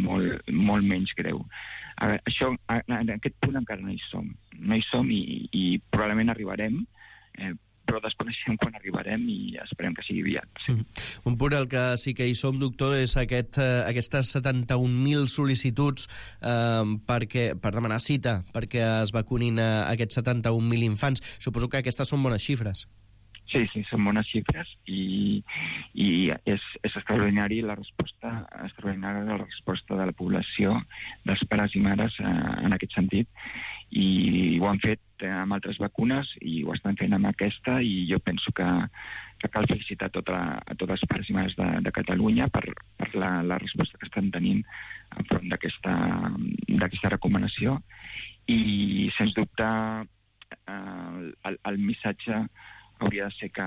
molt menys greu. Això, en aquest punt encara no hi som i probablement arribarem, però desconeixem quan arribarem i esperem que sigui aviat. Sí. Un punt al que sí que hi som, doctor, és aquestes 71.000 sol·licituds per demanar cita perquè es vacunin aquests 71.000 infants. Suposo que aquestes són bones xifres. Sí, són bones xifres i és extraordinària la resposta de la població, dels pares i mares en aquest sentit, i ho han fet amb altres vacunes i ho estan fent amb aquesta, i jo penso que cal felicitar a tots els pares i mares de Catalunya per la resposta que estan tenint enfront d'aquesta recomanació, i sens dubte el missatge hauria de ser que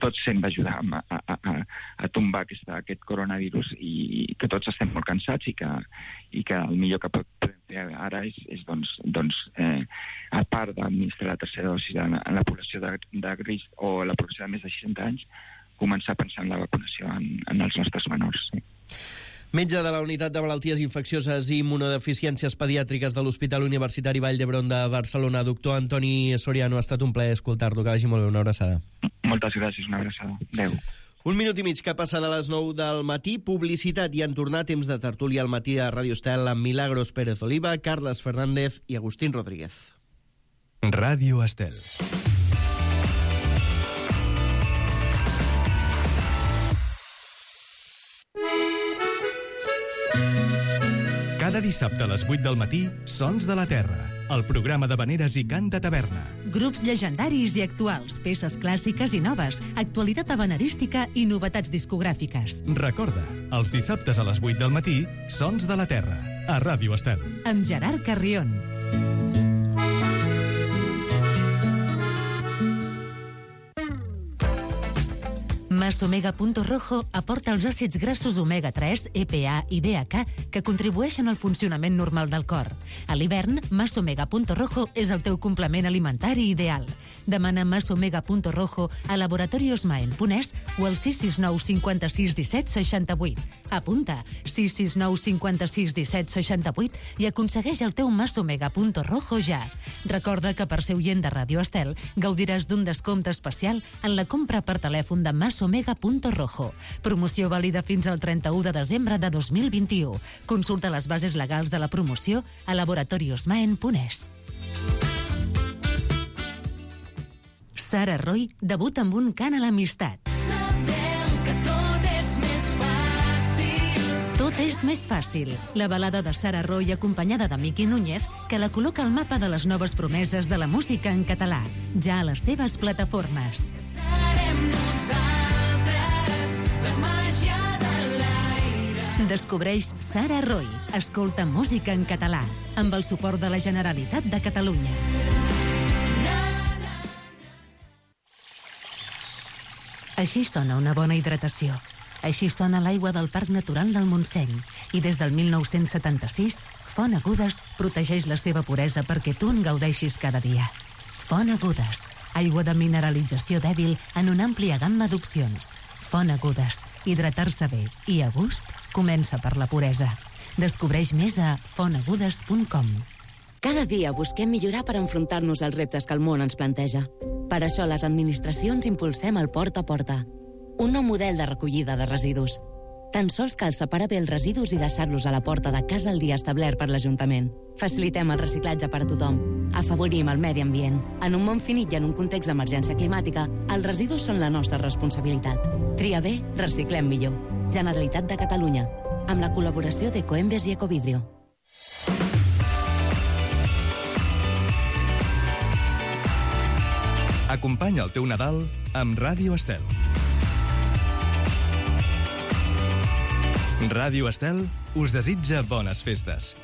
tots hem d'ajudar a tombar aquest coronavirus, i que tots estem molt cansats, i que el millor que podem fer ara és a part d'administrar la tercera dosi a la població de risc o a la població de més de 60 anys, començar a pensar en la vacunació en els nostres menors. Sí. Metge de la Unitat de Malalties Infeccioses i Immunodeficiències Pediàtriques de l'Hospital Universitari Vall d'Hebron de Barcelona, doctor Antoni Soriano, ha estat un plaer escoltar-lo. Que vagi molt bé, una abraçada. Moltes gràcies, una abraçada. Adéu. 1 minut i mig que passa de les 9 del matí. Publicitat, i en tornar temps de tertúlia al matí a Ràdio Estel amb Milagros Pérez Oliva, Carles Fernández i Agustín Rodríguez. Ràdio Estel. Cada dissabte a les 8 del matí, Sons de la Terra, el programa d'havaneres i cant de taverna. Grups llegendaris i actuals, peces clàssiques i noves, actualitat havanerística i novetats discogràfiques. Recorda, els dissabtes a les 8 del matí, Sons de la Terra, a Ràdio Estel. Amb Gerard Carrion. Masomega.rojo aporta els àcids grassos omega-3, EPA i DHA que contribueixen al funcionament normal del cor. A l'hivern, Masomega.rojo és el teu complement alimentari ideal. Demana Masomega.rojo a Laboratorios Maen.es o al 669 56 17 68. Apunta 669 56 17 68 i aconsegueix el teu Masomega.rojo ja. Recorda que per ser oient de Ràdio Estel gaudiràs d'un descompte especial en la compra per telèfon de Masomega.rojo. Promoció vàlida fins al 31 de desembre de 2021. Consulta les bases legals de la promoció a laboratoriosmaen.es. Sara Roy debuta amb un cant a l'amistat. Sabem que tot és més fàcil. Tot és més fàcil. La balada de Sara Roy acompanyada de Miqui Núñez que la col·loca al mapa de les noves promeses de la música en català. Ja a les teves plataformes. Serem nosaltres, la màgia de l'aire. Descobreix Sara Roy. Escolta música en català. Amb el suport de la Generalitat de Catalunya. Així sona una bona hidratació. Així sona l'aigua del Parc Natural del Montseny. I des del 1976, Font Agudes protegeix la seva puresa perquè tu en gaudeixis cada dia. Font Agudes, aigua de mineralització dèbil en una àmplia gamma d'opcions. Font Agudes, hidratar-se bé i a gust comença per la puresa. Descobreix més a fontagudes.com. Cada dia busquem millorar per enfrontar-nos als reptes que el món ens planteja. Per això les administracions impulsem el Porta a Porta, un nou model de recollida de residus. Tan sols cal separar bé els residus i deixar-los a la porta de casa el dia establert per l'Ajuntament. Facilitem el reciclatge per a tothom. Afavorim el medi ambient. En un món finit i en un context d'emergència climàtica, els residus són la nostra responsabilitat. Tria bé, reciclem millor. Generalitat de Catalunya. Amb la col·laboració d'Ecoembes i Ecovidrio. Acompanya el teu Nadal amb Ràdio Estel. Ràdio Estel us desitja bones festes.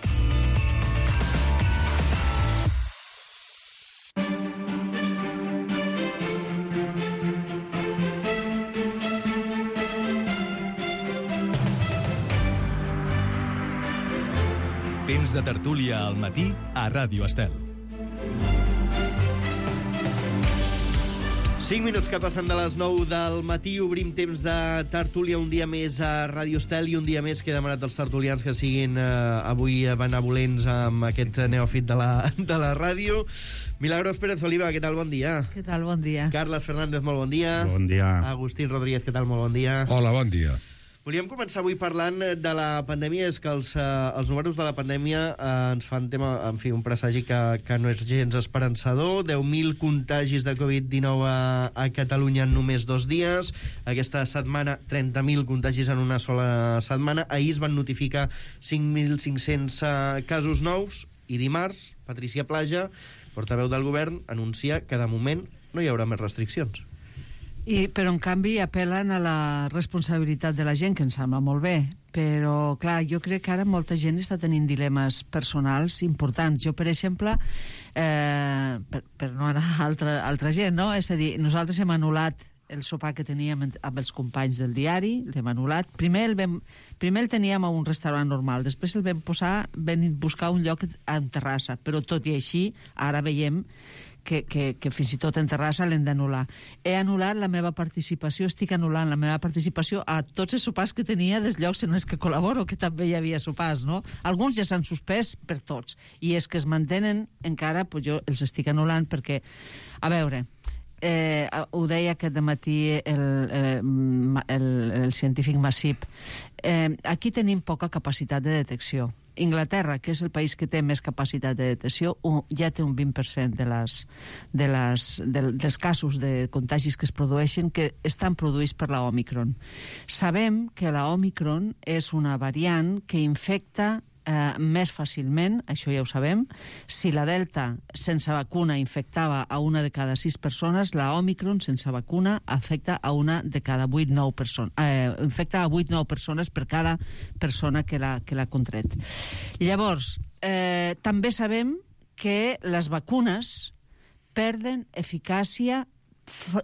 Temps de tertúlia al matí a Ràdio Estel. 5 minuts que passen de les 9 del matí, obrim temps de tertúlia un dia més a Ràdio Estel i un dia més que he demanat als tertulians que siguin avui benevolents amb aquest neòfit de la ràdio. Milagros Pérez Oliva, què tal? Bon dia. Què tal? Bon dia. Carles Fernández, molt bon dia. Bon dia. Agustín Rodríguez, què tal? Molt bon dia. Hola, bon dia. Volíem començar avui parlant de la pandèmia. És que els números de la pandèmia ens fan tema, en fi, un presagi que no és gens esperançador. 10.000 contagis de Covid-19 a Catalunya en només 2 dies. Aquesta setmana, 30.000 contagis en una sola setmana. Ahir es van notificar 5.500 casos nous i dimarts, Patricia Plaja, portaveu del govern, anuncia que de moment no hi haurà més restriccions. Però, en canvi, apel·len a la responsabilitat de la gent, que ens sembla molt bé. Però, clar, jo crec que ara molta gent està tenint dilemes personals importants. Jo, per exemple, per no anar a altra gent, no? És a dir, nosaltres hem anul·lat el sopar que teníem amb els companys del diari, l'hem anul·lat. Primer el teníem a un restaurant normal, després el vam buscar un lloc en terrassa, però tot i així, ara veiem que fins i tot en terrassa l'hem d'anul·lar. He anul·lat la meva participació, estic anul·lant la meva participació a tots els sopars que tenia dels llocs en els que col·laboro, que també hi havia sopars, no? Alguns ja s'han suspès per tots, i és que es mantenen encara, doncs jo els estic anul·lant perquè, a veure, ho deia aquest dematí el científic Masip, aquí tenim poca capacitat de detecció. Inglaterra, que és el país que té més capacitat de detecció, ja té un 20% dels casos de contagis que es produeixen que estan produïts per la Omicron. Sabem que la Omicron és una variant que infecta més fàcilment, això ja ho sabem. Si la Delta sense vacuna infectava a 1 de cada 6 persones, la Omicron sense vacuna afecta a 1 de cada 8-9 persones. Infecta a 8-9 persones per cada persona que l'ha contret. Llavors, també sabem que les vacunes perden eficàcia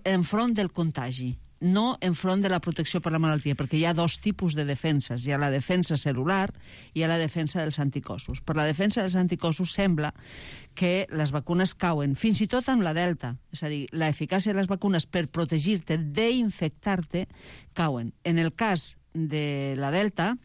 enfront del contagi, no enfront de la protecció per la malaltia, perquè hi ha 2 tipus de defenses. Hi ha la defensa cel·lular i hi ha la defensa dels anticossos. Per la defensa dels anticossos sembla que les vacunes cauen, fins i tot amb la Delta. És a dir, l'eficàcia de les vacunes per protegir-te d'infectar-te cauen. En el cas de la Delta,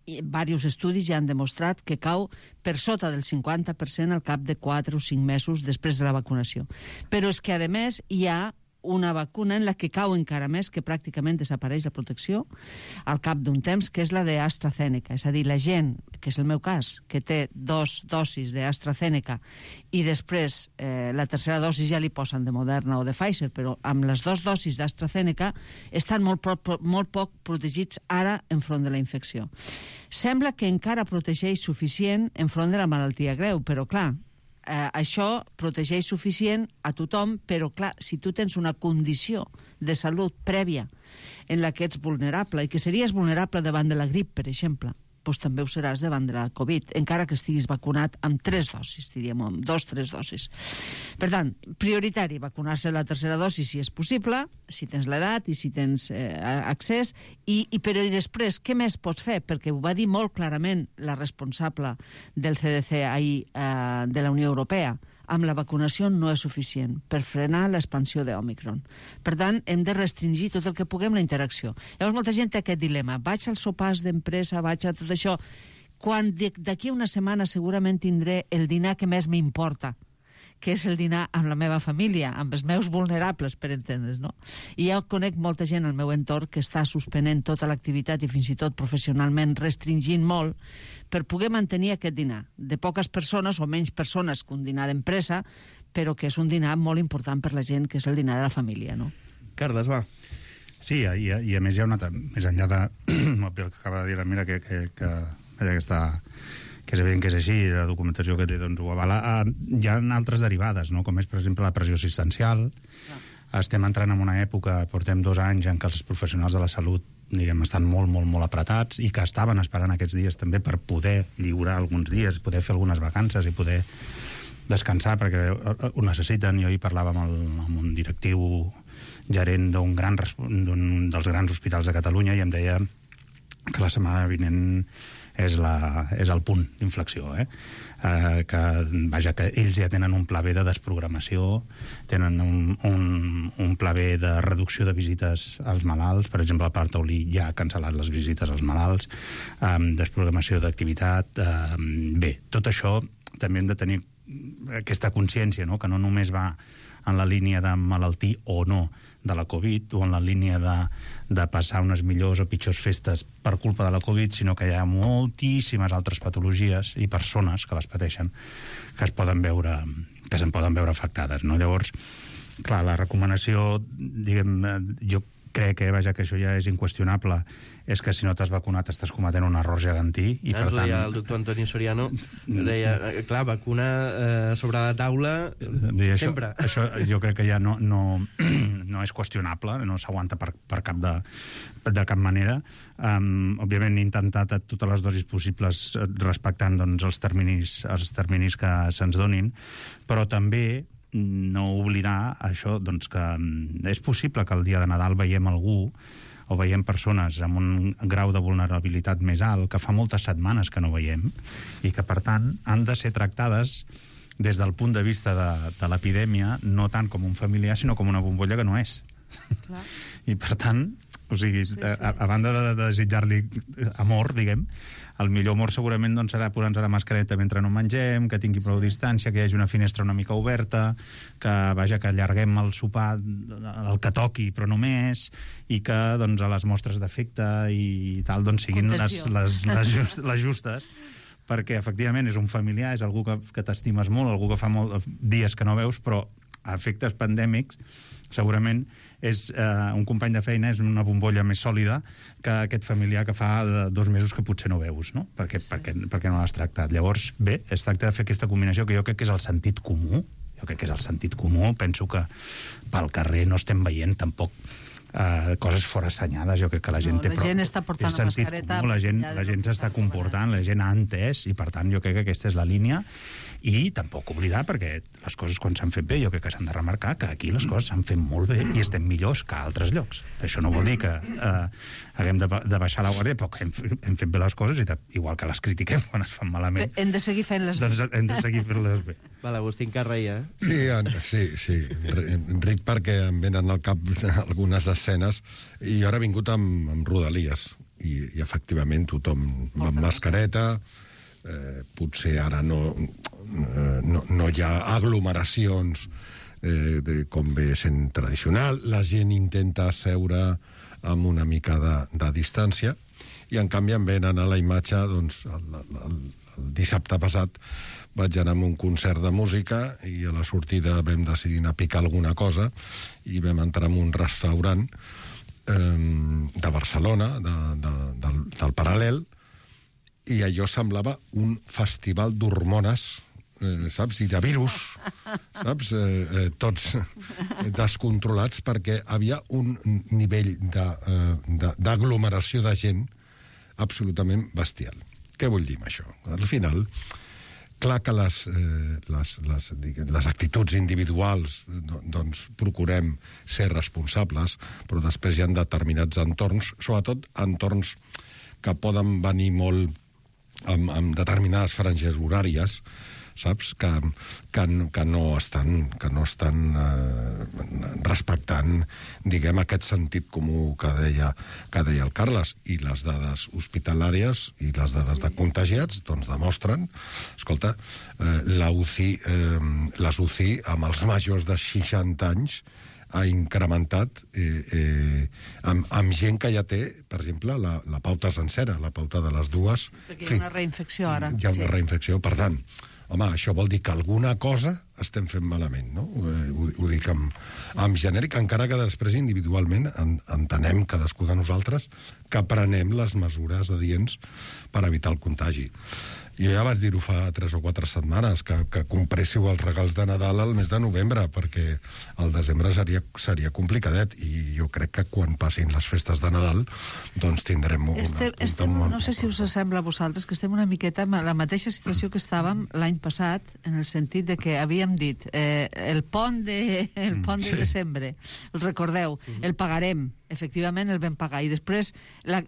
diversos estudis ja han demostrat que cau per sota del 50% al cap de 4 o 5 mesos després de la vacunació. Però és que, a més, hi ha una vacuna en la que cau encara més, que pràcticament desapareix la protecció al cap d'un temps, que és la d'AstraZeneca. És a dir, la gent, que és el meu cas, que té 2 dosis d'AstraZeneca i després la tercera dosi ja li posen de Moderna o de Pfizer, però amb les 2 dosis d'AstraZeneca estan molt poc protegits ara enfront de la infecció. Sembla que encara protegeix suficient enfront de la malaltia greu, però clar, això protegeix suficient a tothom, però clar, si tu tens una condició de salut prèvia en la que ets vulnerable, i que series vulnerable davant de la grip, per exemple, doncs també ho seràs davant de la Covid, encara que estiguis vacunat amb 3 dosis, diríem, amb 2-3 dosis. Per tant, prioritari, vacunar-se la tercera dosi si és possible, si tens l'edat i si tens accés, però i després, què més pots fer? Perquè ho va dir molt clarament la responsable del CDC ahir de la Unió Europea. Amb la vacunació no és suficient per frenar l'expansió d'Omicron. Per tant, hem de restringir tot el que puguem la interacció. Llavors, molta gent té aquest dilema. Vaig als sopars d'empresa, vaig a tot això, quan d'aquí una setmana segurament tindré el dinar que més m'importa, que és el dinar amb la meva família, amb els meus vulnerables, per entendre's, no? I jo conec molta gent al meu entorn que està suspenent tota l'activitat i fins i tot professionalment restringint molt per poder mantenir aquest dinar, de poques persones o menys persones que un dinar d'empresa, però que és un dinar molt important per la gent, que és el dinar de la família, no? Carles, va. Sí, i a més hi ha una... Més enllà de... el que acaba de dir la Mira, que està... que és evident que és així, la documentació que té doncs, ho avala. Hi ha altres derivades, no? Com és, per exemple, la pressió assistencial. Estem entrant en una època, portem 2 anys en què els professionals de la salut, diguem, estan molt, molt, molt apretats i que estaven esperant aquests dies també per poder lliurar alguns dies, poder fer algunes vacances i poder descansar, perquè ho necessiten. Jo hi parlava amb un directiu gerent d'un dels grans hospitals de Catalunya i em deia que la setmana vinent és el punt d'inflexió, que ells ja tenen un pla B de desprogramació, tenen un pla B de reducció de visites als malalts. Per exemple, el Parc Taulí ja ha cancel·lat les visites als malalts, desprogramació d'activitat. Bé, tot això també hem de tenir aquesta consciència, no? Que no només va en la línia de malaltir o no de la Covid, o en la línia de passar unes millors o pitjors festes per culpa de la Covid, sinó que hi ha moltíssimes altres patologies i persones que les pateixen que se'n poden veure afectades, no? Llavors, clar, la recomanació, diguem, jo crec que això ja és inqüestionable, és que si no t'has vacunat estàs cometent un error gegantí. I per tant, deia el doctor Antoni Soriano, deia, clar, vacuna sobre la taula sempre. Això jo crec que ja no és qüestionable, no s'aguanta per de cap manera. Òbviament he intentat a totes les dosis possibles respectant els terminis que se'ns donin, però també no oblidar això, que és possible que el dia de Nadal veiem algú o veiem persones amb un grau de vulnerabilitat més alt que fa moltes setmanes que no veiem i que, per tant, han de ser tractades des del punt de vista de l'epidèmia, no tant com un familiar, sinó com una bombolla que no és. Clar. I, per tant, o sigui, sí. A banda de desitjar-li amor, diguem, el millor amor segurament serà posar-nos la mascareta mentre no mengem, que tingui prou distància, que hi hagi una finestra una mica oberta, que allarguem el sopar el que toqui, però no més, i que a les mostres d'efecte i tal siguin les justes, perquè efectivament és un familiar, és algú que t'estimes molt, algú que fa molts dies que no veus, però a efectes pandèmics segurament és un company de feina, és una bombolla més sòlida que aquest familiar que fa 2 mesos que potser no veus, no? Perquè no l'has tractat. Llavors, bé, es tracta de fer aquesta combinació que jo crec que és el sentit comú. Penso que pel carrer no estem veient tampoc coses forassenyades. Jo crec que la gent té gent està portant la mascareta comú, la gent s'està comportant, la gent ha entès, i per tant jo crec que aquesta és la línia. I tampoc oblidar, perquè les coses quan s'han fet bé, jo crec que s'han de remarcar que aquí les coses s'han fet molt bé i estem millors que a altres llocs. Això no vol dir que haguem de baixar la guàrdia, però que hem fet bé les coses, igual que les critiquem quan es fan malament. Hem de seguir fent-les bé. Doncs hem de seguir fent-les bé. Vale, Agustín Carreia. Sí. Ric, perquè em venen al cap algunes escenes, i ara he vingut amb Rodalies, i efectivament tothom amb mascareta. Potser ara no hi ha aglomeracions com ve sent tradicional, la gent intenta seure amb una mica de distància, i en canvi em venen a la imatge, el dissabte passat vaig anar a un concert de música i a la sortida vam decidir anar a picar alguna cosa i vam entrar en un restaurant de Barcelona, del Paral·lel, i allò semblava un festival d'hormones, saps? I de virus, saps? Tots descontrolats, perquè havia un nivell d'aglomeració de gent absolutament bestial. Què vull dir amb això? Al final, clar que les actituds individuals procurem ser responsables, però després hi ha determinats entorns, sobretot entorns que poden venir molt amb determinades franges horàries, saps? Que no estan respectant, diguem, aquest sentit comú que deia el Carles, i les dades hospitalàries i les dades de contagiats demostren, escolta, les UCI amb els majors de 60 anys ha incrementat amb gent que ja té, per exemple, la pauta sencera, la pauta de les dues. Perquè hi ha una reinfecció ara. Hi ha una reinfecció, per tant, home, això vol dir que alguna cosa estem fent malament, no? Ho dic en genèric, encara que després individualment entenem cadascú de nosaltres que prenem les mesures adients per evitar el contagi. Jo ja vaig dir-ho fa 3 o 4 setmanes, que compréssiu els regals de Nadal al mes de novembre, perquè el desembre seria complicadet, i jo crec que quan passin les festes de Nadal tindrem no sé si us sembla a vosaltres que estem una miqueta en la mateixa situació que estàvem l'any passat, en el sentit de que havíem havíem dit, el pont de desembre, el recordeu, el pagarem, efectivament el vam pagar, i després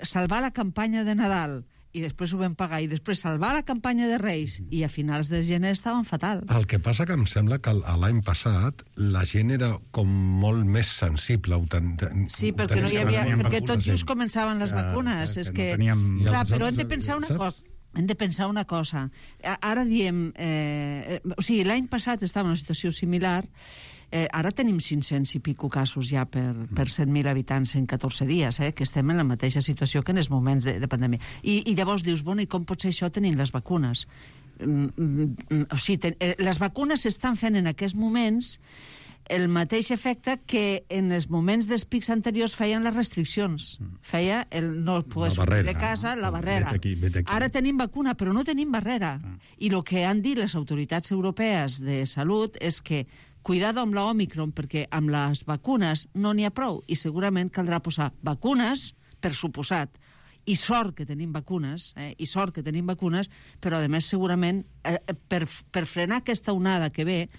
salvar la campanya de Nadal, i després ho vam pagar, i després salvar la campanya de Reis, i a finals de gener estaven fatal. El que passa que em sembla que l'any passat la gent era com molt més sensible. Sí, perquè no hi havia... Perquè tot just començaven les vacunes. És que... Clar, però hem de pensar una cosa. Hem de pensar una cosa. Ara diem... O sigui, l'any passat estava en una situació similar. Ara tenim 500 i pico casos ja per 100.000 habitants en 14 dies, que estem en la mateixa situació que en els moments de pandèmia. I llavors dius, bueno, i com pot ser això tenint les vacunes? O sigui, les vacunes s'estan fent en aquests moments el mateix efecte que en els moments dels pics anteriors feien les restriccions. Feia el no poder sortir de casa, la barrera. Vet aquí. Ara tenim vacuna, però no tenim barrera. I el que han dit les autoritats europees de salut és que cuidado amb l'Omicron, perquè amb les vacunes no n'hi ha prou, i segurament caldrà posar vacunes, per suposat, i sort que tenim vacunes, però a més segurament per frenar aquesta onada que ve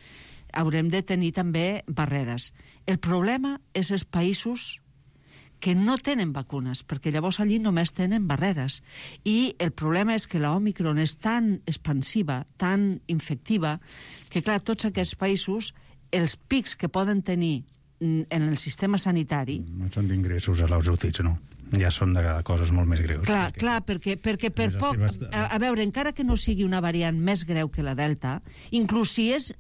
haurem de tenir també barreres. El problema és els països que no tenen vacunes, perquè llavors allí només tenen barreres. I el problema és que l'Omicron és tan expansiva, tan infectiva, que clar, tots aquests països, els pics que poden tenir en el sistema sanitari... No són d'ingressos a les UCIs, no? Ja són de coses molt més greus. Clar, perquè per poc... A veure, encara que no sigui una variant més greu que la Delta, inclús si és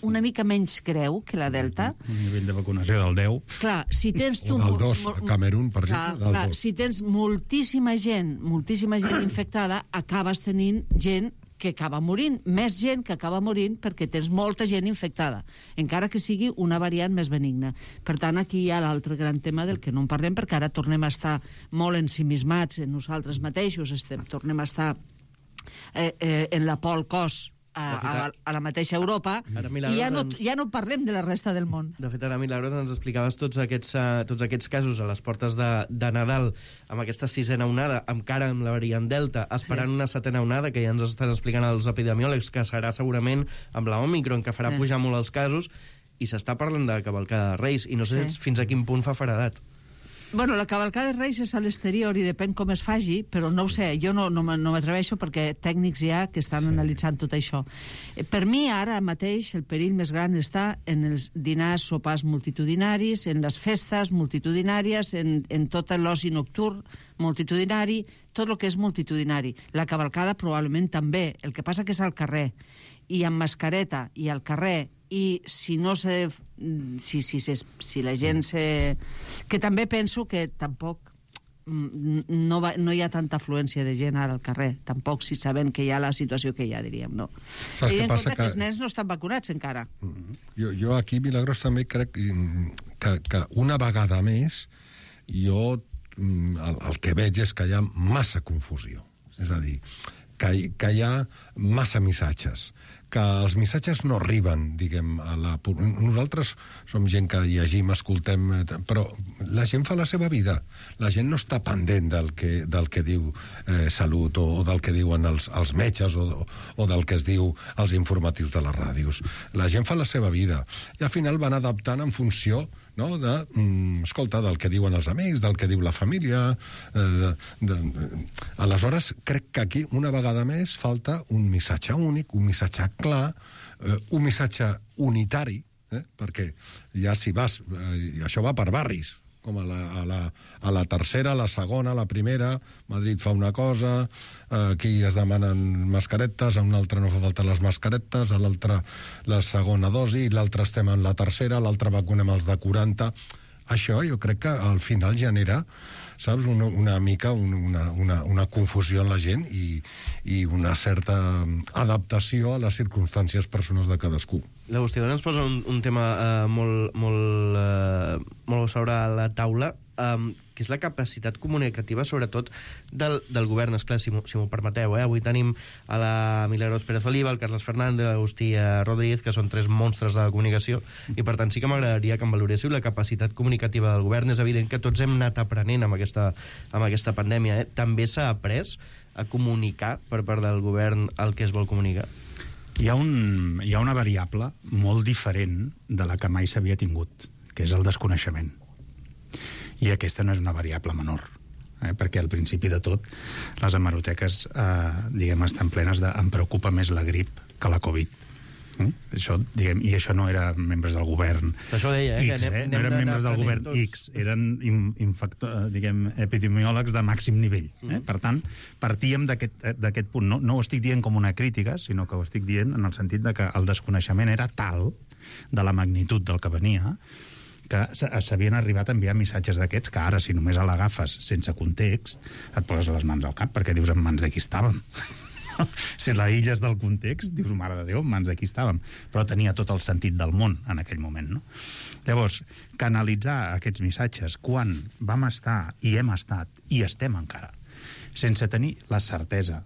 una mica menys greu que la Delta... Un nivell de vacunació del 10... Clar, si tens tu... O del 2, a Camerún, per exemple, del 2. Si tens moltíssima gent infectada, acabes tenint gent que acaba morint, més gent que acaba morint perquè tens molta gent infectada, encara que sigui una variant més benigna. Per tant, aquí hi ha l'altre gran tema del que no en parlem, perquè ara tornem a estar molt ensimismats en nosaltres mateixos, tornem a estar en la pol cos a la mateixa Europa, i ja no parlem de la resta del món. De fet, ara, Milagros, ens explicaves tots aquests casos a les portes de Nadal, amb aquesta 6a onada, encara amb la variant Delta, esperant una 7a onada, que ja ens estan explicant els epidemiòlegs, que serà segurament amb l'Omicron, que farà pujar molt els casos, i s'està parlant de cavalcada de Reis, i no sé fins a quin punt fa feredat. Bueno, la cavalcada de Reis és a l'exterior i depèn com es faci, però no ho sé, jo no m'atreveixo perquè tècnics hi ha que estan analitzant tot això. Per mi, ara mateix, el perill més gran està en els dinars, sopars multitudinaris, en les festes multitudinàries, en tot l'oci nocturn multitudinari, tot el que és multitudinari. La cavalcada probablement també, el que passa que és al carrer, i amb mascareta, i al carrer, i si no se... Si la gent se... Que també penso que tampoc no hi ha tanta afluència de gent ara al carrer, tampoc si sabent que hi ha la situació que hi ha, diríem, no. Tenint en compte que els nens no estan vacunats encara. Jo aquí, Milagros, també crec que una vegada més jo el que veig és que hi ha massa confusió. És a dir, que hi ha massa missatges, que els missatges no arriben, diguem, a la... Nosaltres som gent que llegim, escoltem, però la gent fa la seva vida. La gent no està pendent del que diu Salut o del que diuen els metges o del que es diu als informatius de les ràdios. La gent fa la seva vida i al final van adaptant en funció, no, escolta, del que diuen els amics, del que diu la família. Aleshores, crec que aquí, una vegada més, falta un missatge únic, un missatge clar, un missatge unitari, perquè ja si vas... això va per barris, com a la tercera, a la segona, a la primera, Madrid fa una cosa, aquí es demanen mascaretes, a un altre no fa falta les mascaretes, a l'altre la segona dosi, i l'altre estem en la tercera, l'altre vacunem els de 40... Això jo crec que al final genera, saps, una mica una confusió en la gent i una certa adaptació a les circumstàncies personals de cadascú. L'Agustí ens posa un tema molt sobre la taula, que és la capacitat comunicativa, sobretot del govern. Esclar, si m'ho permeteu, avui tenim a la Milagros Pérez Oliva, el Carles Fernández, l'Agustí Rodríguez, que són 3 monstres de la comunicació, i per tant sí que m'agradaria que em valoréssiu la capacitat comunicativa del govern. És evident que tots hem anat aprenent amb aquesta pandèmia. També s'ha après a comunicar per part del govern el que es vol comunicar? hi ha una variable molt diferent de la que mai s'havia tingut, que és el desconeixement. I aquesta no és una variable menor, perquè al principi de tot les hemeroteques estan plenes de em preocupa més la grip que la Covid. I això no eren membres del govern això deia, X, no eren membres del govern X, eren epidemiòlegs de màxim nivell. Per tant, partíem d'aquest punt. No ho estic dient com una crítica, sinó que ho estic dient en el sentit de que el desconeixement era tal de la magnitud del que venia que s'havien arribat a enviar missatges d'aquests que ara, si només l'agafes sense context, et poses les mans al cap, perquè dius en mans de qui estàvem. Si l'aïlles del context, dius, mare de Déu, en mans de qui estàvem. Però tenia tot el sentit del món en aquell moment, no? Llavors, canalitzar aquests missatges quan vam estar i hem estat i estem encara, sense tenir la certesa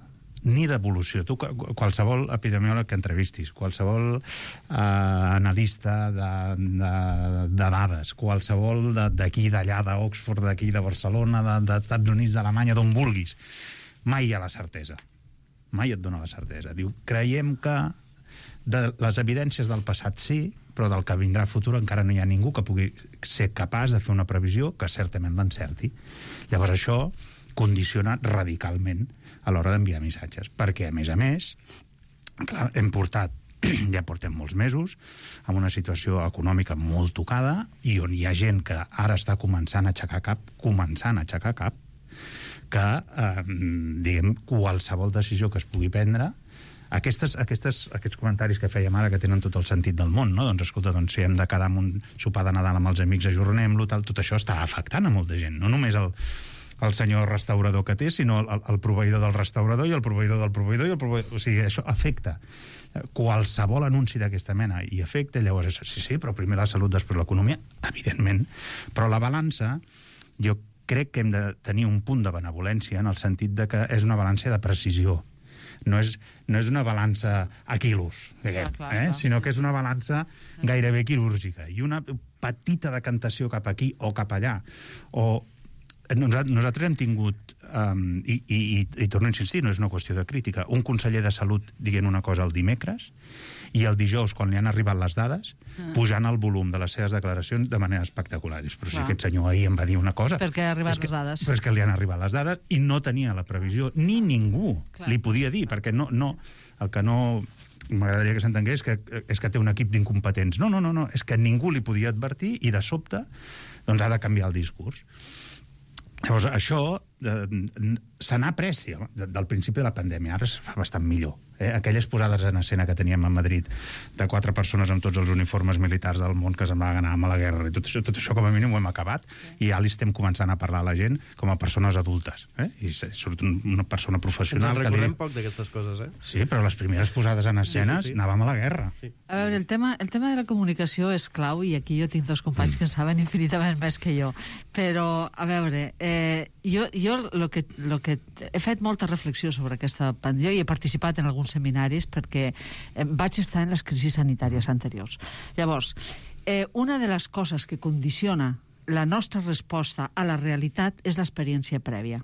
ni d'evolució. Tu, qualsevol epidemiòleg que entrevistis, qualsevol analista de dades, qualsevol d'aquí, d'allà, d'Oxford, d'aquí, de Barcelona, dels Estats Units, d'Alemanya, d'on vulguis, mai hi ha la certesa. Mai et dona la certesa. Diu, creiem que de les evidències del passat sí, però del que vindrà futur encara no hi ha ningú que pugui ser capaç de fer una previsió que certament l'encerti. Llavors això condiciona radicalment a l'hora d'enviar missatges. Perquè, a més, clar, ja portem molts mesos amb una situació econòmica molt tocada i on hi ha gent que ara està començant a aixecar cap, que, qualsevol decisió que es pugui prendre, aquests comentaris que fèiem ara, que tenen tot el sentit del món, no? Doncs, escolta, si hem de quedar amb un sopar de Nadal amb els amics, ajornem-lo, tot això està afectant a molta gent, no només el senyor restaurador que té, sinó el proveïdor del restaurador i el proveïdor del proveïdor, o sigui, això afecta. Qualsevol anunci d'aquesta mena i afecta, llavors, sí, però primer la salut, després l'economia, evidentment, però la balança, jo crec que hem de tenir un punt de benevolència en el sentit de que és una balança de precisió. No és una balança a quilos, diguem, sinó que és una balança gairebé quirúrgica. I una petita decantació cap aquí o cap allà. Nosaltres hem tingut, i torno a insistir, no és una qüestió de crítica, un conseller de Salut dient una cosa el dimecres i el dijous, quan li han arribat les dades, pujant el volum de les seves declaracions de manera espectacular. Dius, però si aquest senyor ahir em va dir una cosa... Perquè han arribat les dades. Però és que li han arribat les dades i no tenia la previsió, ni ningú li podia dir, perquè el que no m'agradaria que s'entengués és que té un equip d'incompetents. No, és que ningú li podia advertir i de sobte doncs ha de canviar el discurs. Llavors, això se n'ha après del principi de la pandèmia. Ara es fa bastant millor. Aquelles posades en escena que teníem a Madrid de 4 persones amb tots els uniformes militars del món que semblava que anàvem a la guerra. I tot això com a mínim ho hem acabat i ja li estem començant a parlar a la gent com a persones adultes. I surt una persona professional... Ens en recordem poc d'aquestes coses, Sí, però les primeres posades en escenes anàvem a la guerra. A veure, el tema de la comunicació és clau i aquí jo tinc dos companys que en saben infinitament més que jo. Però, a veure, jo lo que he fet molta reflexió sobre aquesta pandèmia i he participat en alguns seminaris perquè vaig estar en les crisis sanitàries anteriors. Llavors, una de les coses que condiciona la nostra resposta a la realitat és l'experiència prèvia.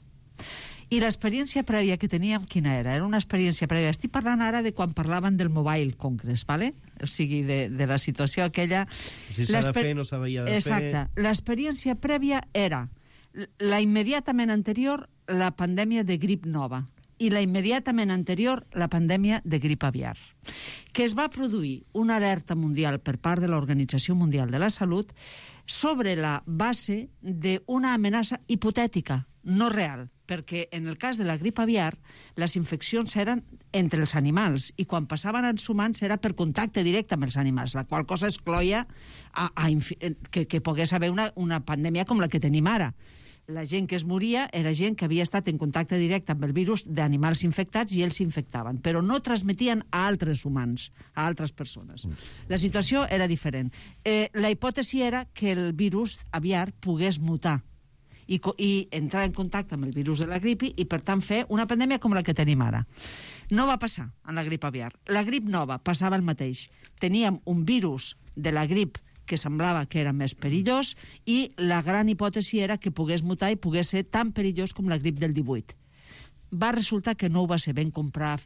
I l'experiència prèvia que teníem, quina era? Era una experiència prèvia. Estic parlant ara de quan parlaven del Mobile Congress, ¿vale? O sigui, de la situació aquella... Si s'ha de fer, no s'havia de fer... Exacte. L'experiència prèvia era la immediatament anterior, la pandèmia de grip nova, i la immediatament anterior, la pandèmia de grip aviar, que es va produir una alerta mundial per part de l'Organització Mundial de la Salut sobre la base d'una amenaça hipotètica, no real, perquè en el cas de la grip aviar les infeccions eren entre els animals i quan passaven als humans era per contacte directe amb els animals, la qual cosa excloïa que pogués haver una pandèmia com la que tenim ara. La gent que es moria era gent que havia estat en contacte directe amb el virus d'animals infectats i ells s'infectaven, però no transmetien a altres humans, a altres persones. La situació era diferent. La hipòtesi era que el virus aviar pogués mutar i entrar en contacte amb el virus de la grip i, per tant, fer una pandèmia com la que tenim ara. No va passar en la grip aviar. La grip nova passava el mateix. Teníem un virus de la grip que semblava que era més perillós i la gran hipòtesi era que pogués mutar i pogués ser tan perillós com la grip del 18. va resultar que no ho va ser. Vam comprar...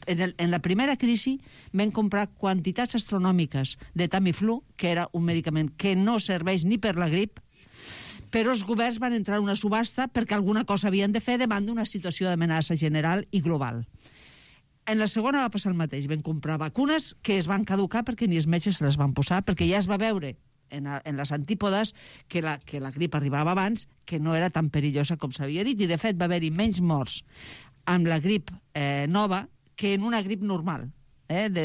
En la primera crisi vam comprar quantitats astronòmiques de Tamiflu, que era un medicament que no serveix ni per la grip, però els governs van entrar en una subhasta perquè alguna cosa havien de fer davant d'una situació d'amenaça general i global. En la segona va passar el mateix. Vam comprar vacunes que es van caducar perquè ni els metges se les van posar, perquè ja es va veure en les antípodes que la grip arribava abans, que no era tan perillosa com s'havia dit, i de fet va haver-hi menys morts amb la grip nova que en una grip normal,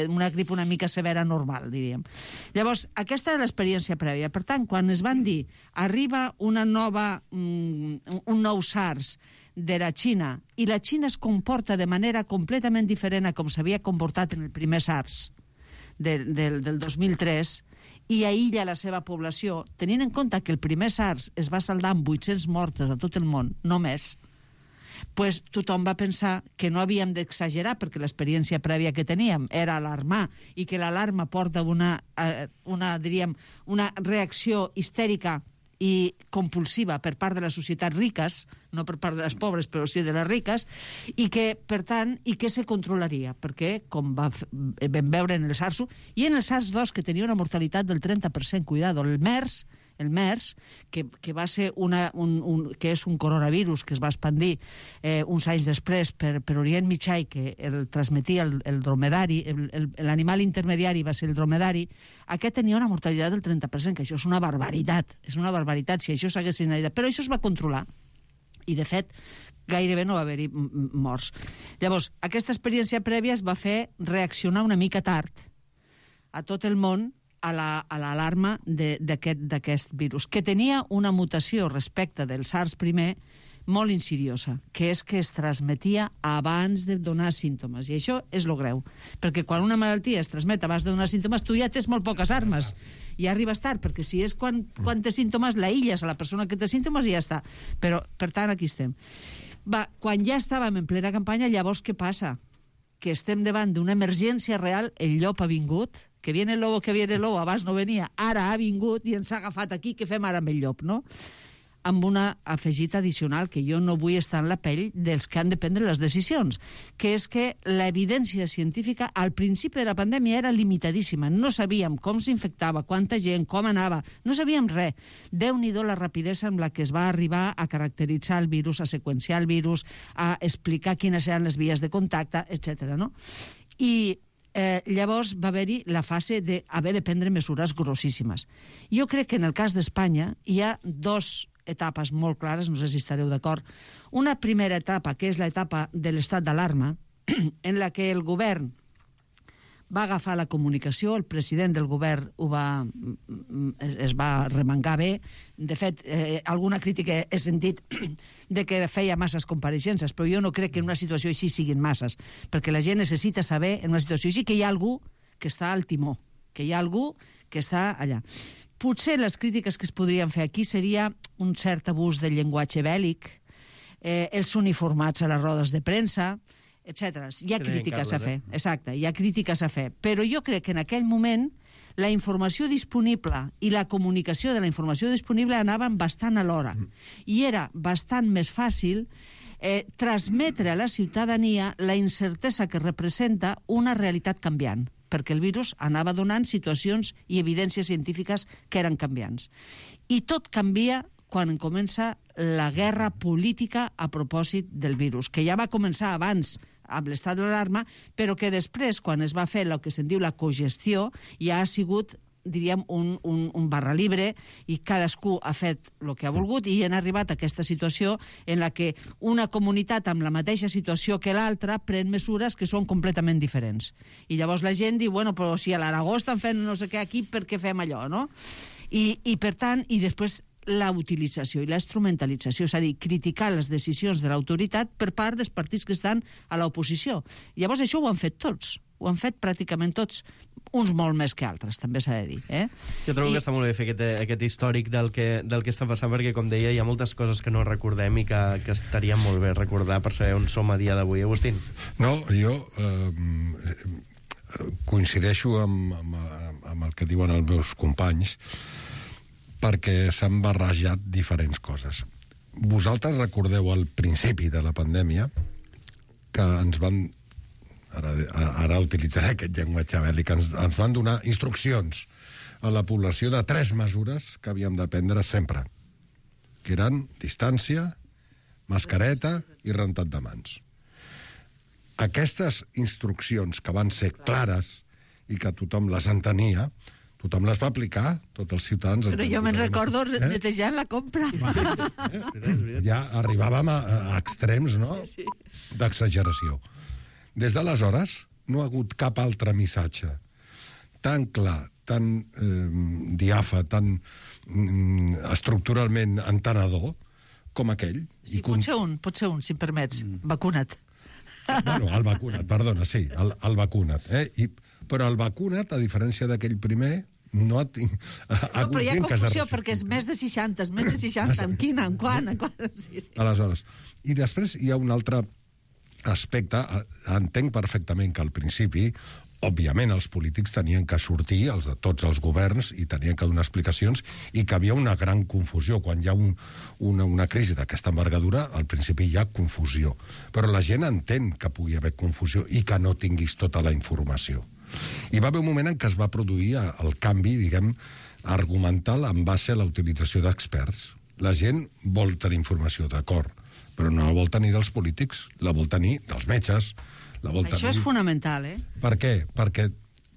una grip una mica severa normal, diríem. Llavors, aquesta era l'experiència prèvia. Per tant, quan es van dir arriba un nou SARS de la Xina i la Xina es comporta de manera completament diferent a com s'havia comportat en el primer SARS del 2003, i aïlla la seva població, tenint en compte que el primer SARS es va saldar amb 800 mortes a tot el món, només, pues tothom va pensar que no havíem d'exagerar perquè l'experiència prèvia que teníem era alarmar i que l'alarma porta una reacció histèrica i compulsiva per part de les societats riques, no per part de les pobres, però sí de les riques, i que, per tant, i que se controlaria, perquè, com vam veure en el SARS-1, i en el SARS-2, que tenia una mortalitat del 30%, cuidado, el MERS, que va ser que és un coronavirus que es va expandir uns anys després per Orient Mitjà i que el transmetia el dromedari, l'animal intermediari va ser el dromedari, aquest tenia una mortalitat del 30%, que això és una barbaritat, si això s'hagués analitzat. Però això es va controlar, i de fet gairebé no va haver-hi morts. Llavors, aquesta experiència prèvia es va fer reaccionar una mica tard a tot el món a l'alarma d'aquest virus, que tenia una mutació respecte del SARS primer molt insidiosa, que és que es transmetia abans de donar símptomes. I això és lo greu, perquè quan una malaltia es transmet abans de donar símptomes, tu ja tens molt poques armes. I arribes tard, perquè si és quan té símptomes, l'aïlles a la persona que té símptomes i ja està. Però, per tant, aquí estem. Quan ja estàvem en plena campanya, llavors què passa? Que estem davant d'una emergència real, el llop ha vingut, que viene el lobo, abans no venia, ara ha vingut i ens ha agafat aquí, què fem ara amb el llop, no? Amb una afegit addicional, que jo no vull estar en la pell dels que han de prendre les decisions, que és que l'evidència científica al principi de la pandèmia era limitadíssima. No sabíem com s'infectava, quanta gent, com anava, no sabíem res. Déu-n'hi-do la rapidesa amb la que es va arribar a caracteritzar el virus, a seqüenciar el virus, a explicar quines eren les vies de contacte, etc. No? I llavors va haver-hi la fase d'haver de prendre mesures grossíssimes. Jo crec que en el cas d'Espanya hi ha dos etapes molt clares, no sé si estareu d'acord. Una primera etapa, que és l'etapa de l'estat d'alarma, en la que el govern va agafar la comunicació, el president del govern es va remengar bé. De fet, alguna crítica he sentit de que feia masses compareixences, però jo no crec que en una situació així siguin masses, perquè la gent necessita saber, en una situació així, que hi ha algú que està al timó, que hi ha algú que està allà. Potser les crítiques que es podrien fer aquí seria un cert abús del llenguatge bèl·lic, els uniformats a les rodes de premsa, etc. Hi ha crítiques a fer, exacte, hi ha crítiques a fer. Però jo crec que en aquell moment la informació disponible i la comunicació de la informació disponible anaven bastant alhora. I era bastant més fàcil transmetre a la ciutadania la incertesa que representa una realitat canviant, perquè el virus anava donant situacions i evidències científiques que eren canviants. I tot canvia quan comença la guerra política a propòsit del virus, que ja va començar abans amb l'estat d'alarma, però que després, quan es va fer el que se'n diu la cogestió, ja ha sigut, diríem, un barra libre, i cadascú ha fet el que ha volgut, i han arribat a aquesta situació en la que una comunitat amb la mateixa situació que l'altra pren mesures que són completament diferents. I llavors la gent diu, bueno, però si a l'Aragó estan fent no sé què aquí, per què fem allò, no? I per tant, i després la utilització i la instrumentalització, és a dir, criticar les decisions de l'autoritat per part dels partits que estan a l'oposició. Llavors això ho han fet tots, ho han fet pràcticament tots, uns molt més que altres, també s'ha de dir. Jo trobo que està molt bé fer aquest històric del que està passant, perquè, com deia, hi ha moltes coses que no recordem i que estaria molt bé recordar per saber on som a dia d'avui. Agustín? No, jo coincideixo amb el que diuen els meus companys, perquè s'han barrejat diferents coses. Vosaltres recordeu al principi de la pandèmia que ens van... Ara utilitzaré aquest llenguatge bèl·lic, ens van donar instruccions a la població de 3 mesures que havíem de prendre sempre, que eren distància, mascareta i rentat de mans. Aquestes instruccions, que van ser clares i que tothom les entenia, tothom les va aplicar, tots els ciutadans... Però jo me'n recordo netejant la compra. Ja arribàvem a extrems, no?, d'exageració. Des d'aleshores no ha hagut cap altre missatge tan clar, tan diàfan, tan estructuralment entenedor com aquell. Sí, pot ser un, si em permets. Vacuna't. Bueno, el vacuna't, perdona, sí, el vacuna't. Però el vacuna't, a diferència d'aquell primer, no ha però hi ha confusió, perquè és més de 60, amb quina, amb quan? Sí. Aleshores, i després hi ha un altre aspecte. Entenc perfectament que al principi, òbviament, els polítics tenien que sortir, els de tots els governs, i tenien que donar explicacions, i que havia una gran confusió. Quan hi ha una crisi d'aquesta envergadura, al principi hi ha confusió. Però la gent entén que pugui haver confusió i que no tinguis tota la informació. Hi va haver un moment en què es va produir el canvi, diguem, argumental en base a la utilització d'experts. La gent vol tenir informació, d'acord, però no la vol tenir dels polítics, la vol tenir dels metges, la vol tenir... Això és fonamental, Per què? Perquè,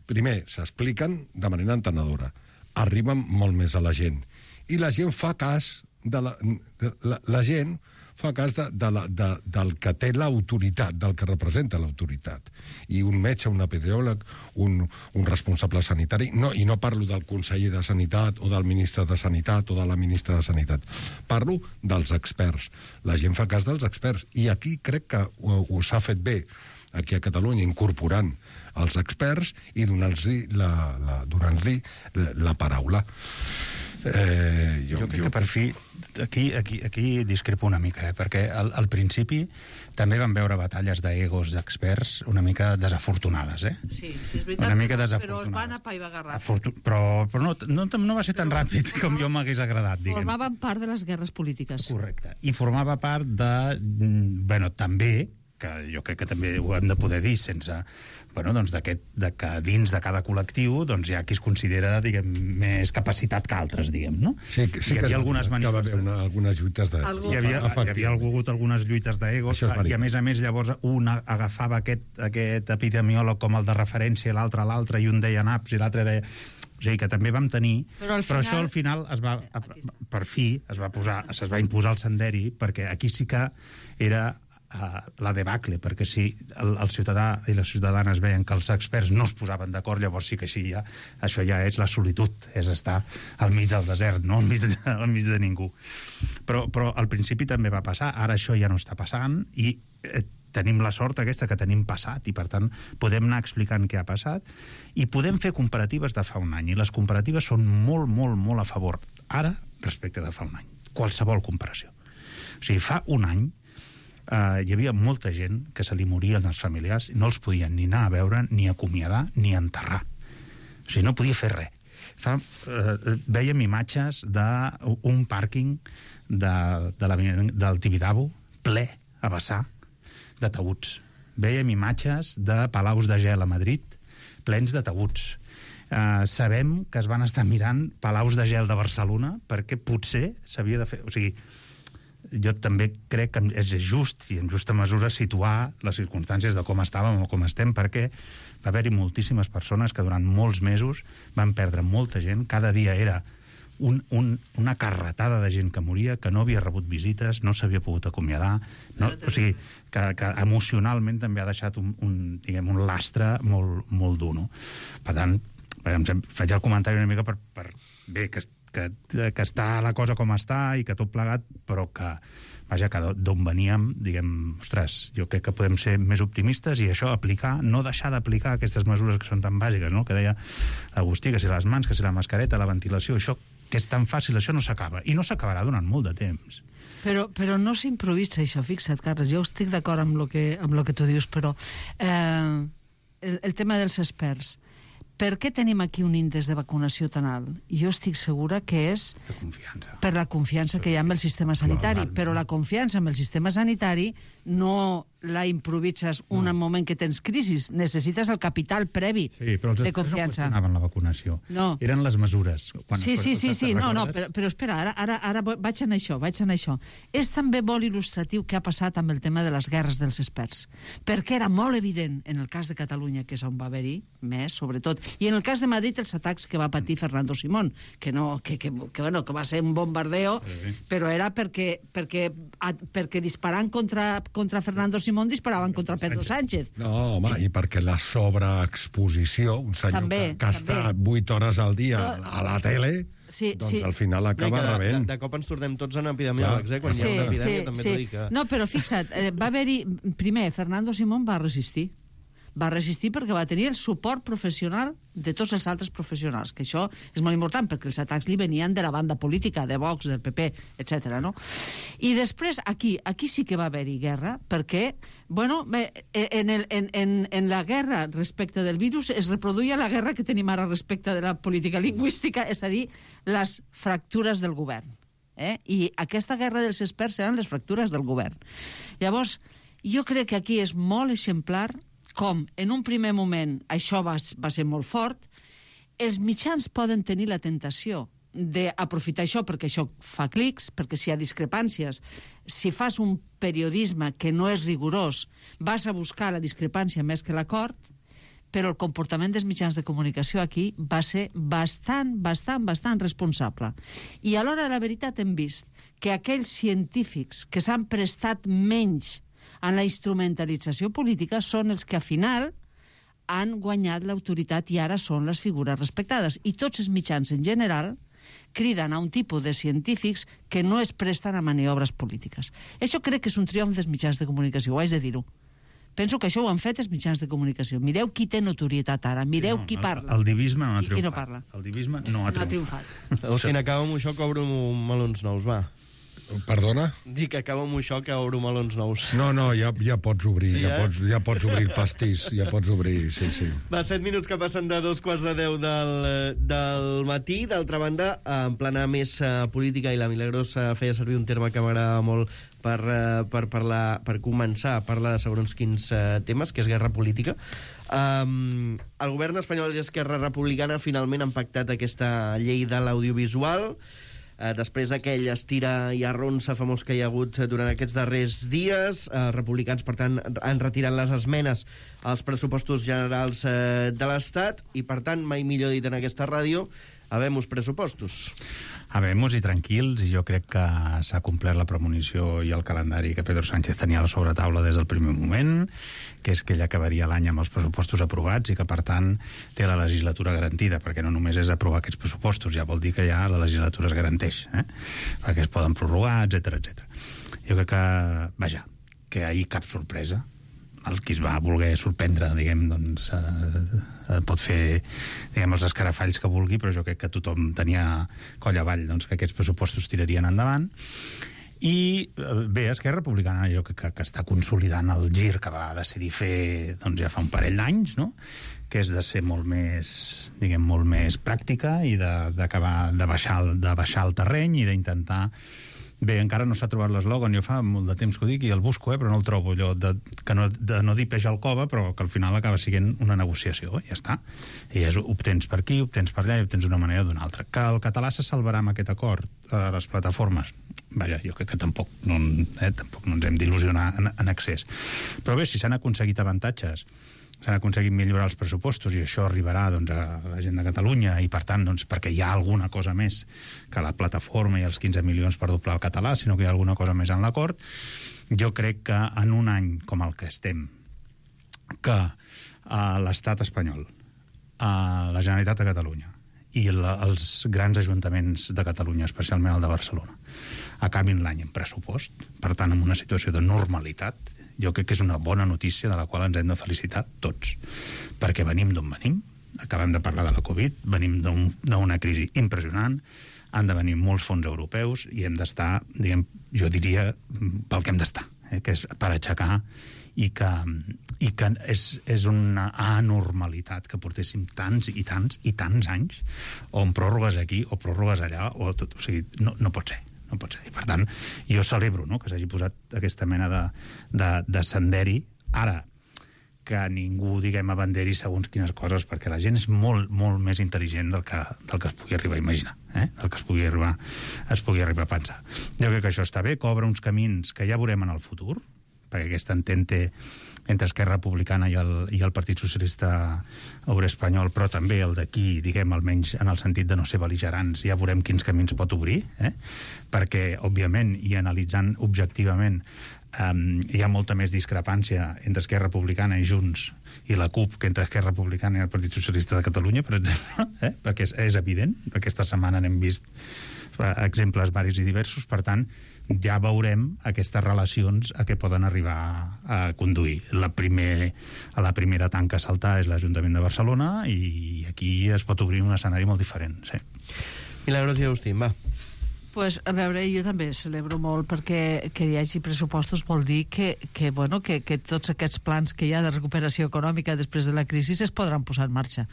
primer, s'expliquen de manera entenedora, arriben molt més a la gent, i la gent fa cas de la gent fa cas del que té l'autoritat, del que representa l'autoritat. I un metge, un epidemiòleg, un responsable sanitari, i no parlo del conseller de Sanitat o del ministre de Sanitat o de la ministra de Sanitat, parlo dels experts. La gent fa cas dels experts, i aquí crec que s'ha fet bé, aquí a Catalunya, incorporant els experts i donant-li la paraula. Jo crec que per fi aquí discrepo una mica, perquè al principi també vam veure batalles d'egos d'experts una mica desafortunades, Sí, és veritat, una mica però es van apaivagar ràpid. Però no va ser tan ràpid com jo m'hagués agradat, diguem. Formaven part de les guerres polítiques. Correcte. I formava part de... Bueno, també, que jo crec que també ho hem de poder dir sense... Bueno, doncs de que dins de cada col·lectiu doncs hi ha qui es considera, diguem, més capacitat que altres, diguem, no? Sí, hi havia algunes manifestacions. Que va haver algunes lluites d'egos. Hi havia hagut algunes lluites d'egos, i a més llavors un agafava aquest epidemiòleg com el de referència, l'altre, i un deia naps i l'altre deia... O sigui que també vam tenir... Però això al final per fi es va imposar el senderi, perquè aquí sí que era... la debacle, perquè si el ciutadà i les ciutadanes veien que els experts no es posaven d'acord, llavors sí que això ja és la solitud, és estar al mig del desert, no al mig de ningú. Però al principi també va passar, ara això ja no està passant, i tenim la sort aquesta que tenim passat, i per tant podem anar explicant què ha passat, i podem fer comparatives de fa un any, i les comparatives són molt, molt, molt a favor, ara respecte de fa un any, qualsevol comparació. O sigui, fa un any hi havia molta gent que se li morien els familiars i no els podien ni anar a veure, ni acomiadar, ni enterrar. O sigui, no podia fer res. Vèiem imatges d'un pàrquing del Tibidabo ple a vessar d'ataüts. Vèiem imatges de palaus de gel a Madrid plens d'ataüts. Sabem que es van estar mirant palaus de gel de Barcelona perquè potser s'havia de fer... O sigui, jo també crec que és just i en justa mesura situar les circumstàncies de com estàvem o com estem, perquè va haver-hi moltíssimes persones que durant molts mesos van perdre molta gent, cada dia era una carretada de gent que moria, que no havia rebut visites, no s'havia pogut acomiadar, o sigui, que emocionalment també ha deixat un lastre molt, molt dur, no? Per tant, faig el comentari una mica per bé, que està la cosa com està i que tot plegat, però que, vaja, que d'on veníem, diguem, ostres, jo crec que podem ser més optimistes i això, aplicar, no deixar d'aplicar aquestes mesures que són tan bàsiques, no?, que deia Agustí, que si les mans, que si la mascareta, la ventilació, això que és tan fàcil, això no s'acaba, i no s'acabarà durant molt de temps. Però no s'improvisa això, fixa't, Carles, jo estic d'acord amb lo que tu dius, però el tema dels experts, per què tenim aquí un índex de vacunació tan alt? Jo estic segura que és per la confiança que hi ha amb el sistema sanitari, però la confiança amb el sistema sanitari no la improvises un moment que tens crisis. Necessites el capital previ però els de experts confiança. no qüestionaven la vacunació. No. Eren les mesures. Sí. No, però espera, ara vaig en això. És també molt il·lustratiu què ha passat amb el tema de les guerres dels experts. Perquè era molt evident, en el cas de Catalunya, que és on va haver-hi més, sobretot, i en el cas de Madrid, els atacs que va patir Fernando Simón, que va ser un bombardeo, però era perquè disparant contra Fernando Simón disparaven contra Pedro Sánchez. No, home, i perquè la sobreexposició, un senyor que està 8 hores al dia a la tele, doncs al final acaba rebent. De cop ens tornem tots en epidemiòlegs, quan hi ha una epidèmia també t'ho dic. No, però fixa't, va haver-hi... Primer, Fernando Simón va resistir. Va resistir perquè va tenir el suport professional de tots els altres professionals, que això és molt important, perquè els atacs li venien de la banda política, de Vox, del PP, etc. No? I després, aquí sí que va haver-hi guerra, perquè, en la guerra respecte del virus es reproduïa la guerra que tenim ara respecte de la política lingüística, és a dir, les fractures del govern. I aquesta guerra dels experts eren les fractures del govern. Llavors, jo crec que aquí és molt exemplar com en un primer moment això va ser molt fort, els mitjans poden tenir la tentació d'aprofitar això perquè això fa clics, perquè si hi ha discrepàncies, si fas un periodisme que no és rigorós, vas a buscar la discrepància més que l'acord, però el comportament dels mitjans de comunicació aquí va ser bastant responsable. I a l'hora de la veritat hem vist que aquells científics que s'han prestat menys en la instrumentalització política són els que, al final, han guanyat l'autoritat i ara són les figures respectades. I tots els mitjans, en general, criden a un tipus de científics que no es presten a maniobres polítiques. Això crec que és un triomf dels mitjans de comunicació, ho haig de dir-ho. Penso que això ho han fet els mitjans de comunicació. Mireu qui té notorietat ara, mireu qui parla. El divisme no ha triomfat. I no parla. El divisme no ha triomfat. Austin, acaba amb això que obro melons nous, va. Perdona? Dic que acaba amb això que obro melons nous. No, ja pots obrir, sí, ja pots obrir el pastís, ja pots obrir, sí. Va, 7 minuts que passen de 2:15 del matí. D'altra banda, en plana més política, i la Milagros feia servir un terme que m'agrada molt per començar a parlar de segons quins temes, que és guerra política. El govern espanyol i Esquerra Republicana finalment han pactat aquesta llei de l'audiovisual, després d'aquell estira i arronsa famós que hi ha hagut durant aquests darrers dies. Republicans, per tant, han retirat les esmenes als pressupostos generals de l'Estat i, per tant, mai millor dit en aquesta ràdio, habemos pressupostos. Habemos i tranquils, i jo crec que s'ha complert la premonició i el calendari que Pedro Sánchez tenia a la sobretaula des del primer moment, que és que ell acabaria l'any amb els pressupostos aprovats i que, per tant, té la legislatura garantida, perquè no només és aprovar aquests pressupostos, ja vol dir que ja la legislatura es garanteix, perquè es poden prorrogar, etc. Jo crec que, vaja, que ahir cap sorpresa. El qui es va voler sorprendre, diguem, doncs, pot fer, diguem, els escarafalls que vulgui, però jo crec que tothom tenia coll avall, doncs, que aquests pressupostos tirarien endavant. I bé, Esquerra Republicana jo crec que està consolidant el gir que va decidir fer, doncs, ja fa un parell d'anys, no?, que és de ser molt més, diguem, molt més pràctica i d'acabar de baixar el terreny i d'intentar... Bé, encara no s'ha trobat l'eslògan, jo fa molt de temps que ho dic i el busco, però no el trobo, allò de no dir peix al cova, però que al final acaba sent una negociació, ja està. I obtens per aquí, obtens per allà i obtens d'una manera o d'una altra. Que el català se salvarà amb aquest acord a les plataformes? Vaja, jo crec que tampoc no ens hem d'il·lusionar en excés. Però bé, si s'han aconseguit avantatges, s'han aconseguit millorar els pressupostos i això arribarà, doncs, a la gent de Catalunya i, per tant, doncs, perquè hi ha alguna cosa més que la plataforma i els 15 milions per doblar el català, sinó que hi ha alguna cosa més en l'acord. Jo crec que en un any com el que estem, que l'estat espanyol, la Generalitat de Catalunya i els grans ajuntaments de Catalunya, especialment el de Barcelona, acabin l'any en pressupost, per tant, en una situació de normalitat, jo crec que és una bona notícia de la qual ens hem de felicitar tots, perquè venim d'on venim, acabem de parlar de la Covid, venim d'una crisi impressionant, han de venir molts fons europeus i hem d'estar, diguem, jo diria, pel que hem d'estar, que és per aixecar i que és una anormalitat que portéssim tants anys on pròrrogues aquí o pròrrogues allà, o tot, o sigui, no pot ser. No pot ser. I, per tant, jo celebro, no?, que s'hagi posat aquesta mena de senderi. Ara, que ningú, diguem, abanderi segons quines coses, perquè la gent és molt, molt més intel·ligent del que es pugui arribar a imaginar, del que es pugui arribar a pensar. Jo crec que això està bé, que obre uns camins que ja veurem en el futur, perquè aquesta entente entre Esquerra Republicana i el Partit Socialista Obrer Espanyol, però també el d'aquí, diguem, almenys en el sentit de no ser bel·ligerants, ja veurem quins camins pot obrir, perquè, òbviament, i analitzant objectivament, hi ha molta més discrepància entre Esquerra Republicana i Junts i la CUP que entre Esquerra Republicana i el Partit Socialista de Catalunya, per exemple, perquè és evident. Aquesta setmana n'hem vist exemples varis i diversos, per tant, ja veurem aquestes relacions a què poden arribar a conduir. La primera tanca a saltar és l'Ajuntament de Barcelona i aquí es pot obrir un escenari molt diferent. Sí. Milagros i Agustín, va. Pues, a veure, jo també celebro molt perquè que hi hagi pressupostos vol dir que tots aquests plans que hi ha de recuperació econòmica després de la crisi es podran posar en marxa.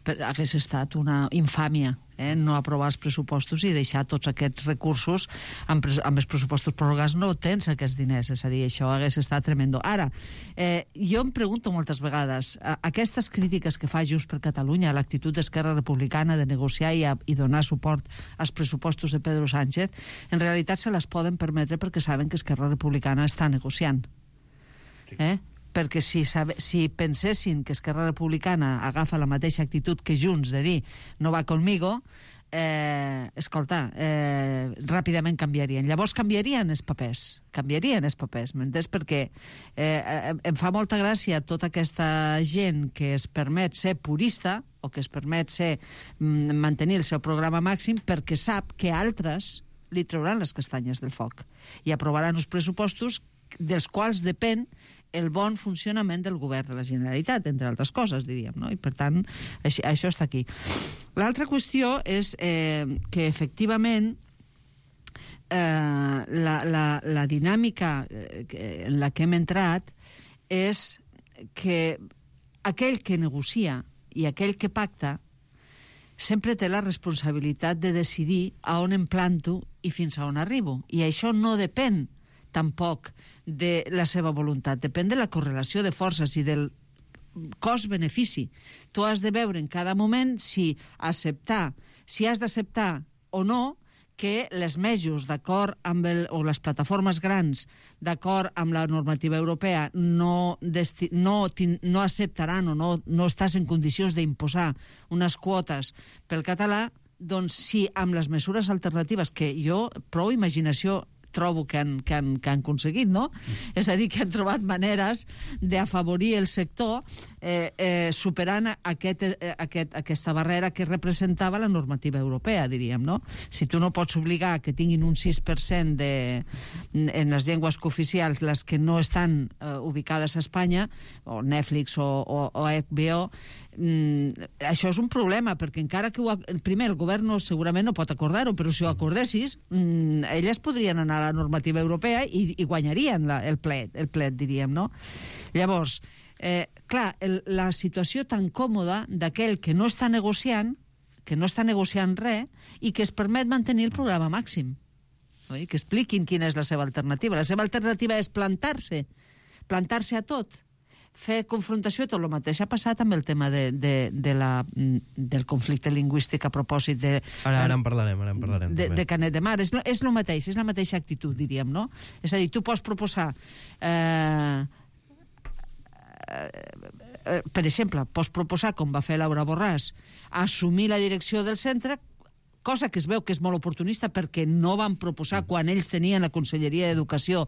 Hagués estat una infàmia no aprovar els pressupostos i deixar tots aquests recursos amb els pressupostos prorrogats. No tens aquests diners, és a dir, això hagués estat tremendo. Ara, jo em pregunto moltes vegades, aquestes crítiques que fa Junts per Catalunya a l'actitud d'Esquerra Republicana de negociar i donar suport als pressupostos de Pedro Sánchez, en realitat se les poden permetre perquè saben que Esquerra Republicana està negociant. Perquè si pensessin que Esquerra Republicana agafa la mateixa actitud que Junts de dir no va conmigo, escolta, ràpidament canviarien. Llavors canviarien els papers, m'entens? Perquè em fa molta gràcia tota aquesta gent que es permet ser purista o que es permet mantenir el seu programa màxim perquè sap que altres li trauran les castanyes del foc i aprovaran uns pressupostos dels quals depèn el bon funcionament del govern de la Generalitat, entre altres coses, diríem, no? I, per tant, això està aquí. L'altra qüestió és que, efectivament, la dinàmica en la que hem entrat és que aquell que negocia i aquell que pacta sempre té la responsabilitat de decidir a on em planto i fins a on arribo. I això no depèn tampoc de la seva voluntat, depèn de la correlació de forces i del cost-benefici. Tu has de veure en cada moment si has d'acceptar o no que les mejos, d'acord amb o les plataformes grans, d'acord amb la normativa europea, no acceptaran o no estàs en condicions d'imposar unes quotes pel català, doncs sí, amb les mesures alternatives que jo, prou imaginació trobo que han aconseguit, no? És a dir, que han trobat maneres d'afavorir el sector superant aquesta barrera que representava la normativa europea, diríem, no? Si tu no pots obligar que tinguin un 6% en les llengües cooficials les que no estan ubicades a Espanya, o Netflix o HBO, això és un problema, perquè encara que primer el govern segurament no pot acordar-ho, però si ho acordessis, elles podrien anar a la normativa europea i guanyarien el plet, diríem, no? Llavors, clar, la situació tan còmoda d'aquell que no està negociant res i que es permet mantenir el programa màxim. Que expliquin quina és la seva alternativa. La seva alternativa és plantar-se a tot, fer confrontació, tot el mateix ha passat amb el tema del conflicte lingüístic a propòsit de... Ara en parlarem. De Canet de Mar. És el mateix, és la mateixa actitud, diríem, no? És a dir, tu pots proposar... per exemple, pots proposar, com va fer Laura Borràs, assumir la direcció del centre, cosa que es veu que és molt oportunista perquè no van proposar, quan ells tenien la Conselleria d'Educació,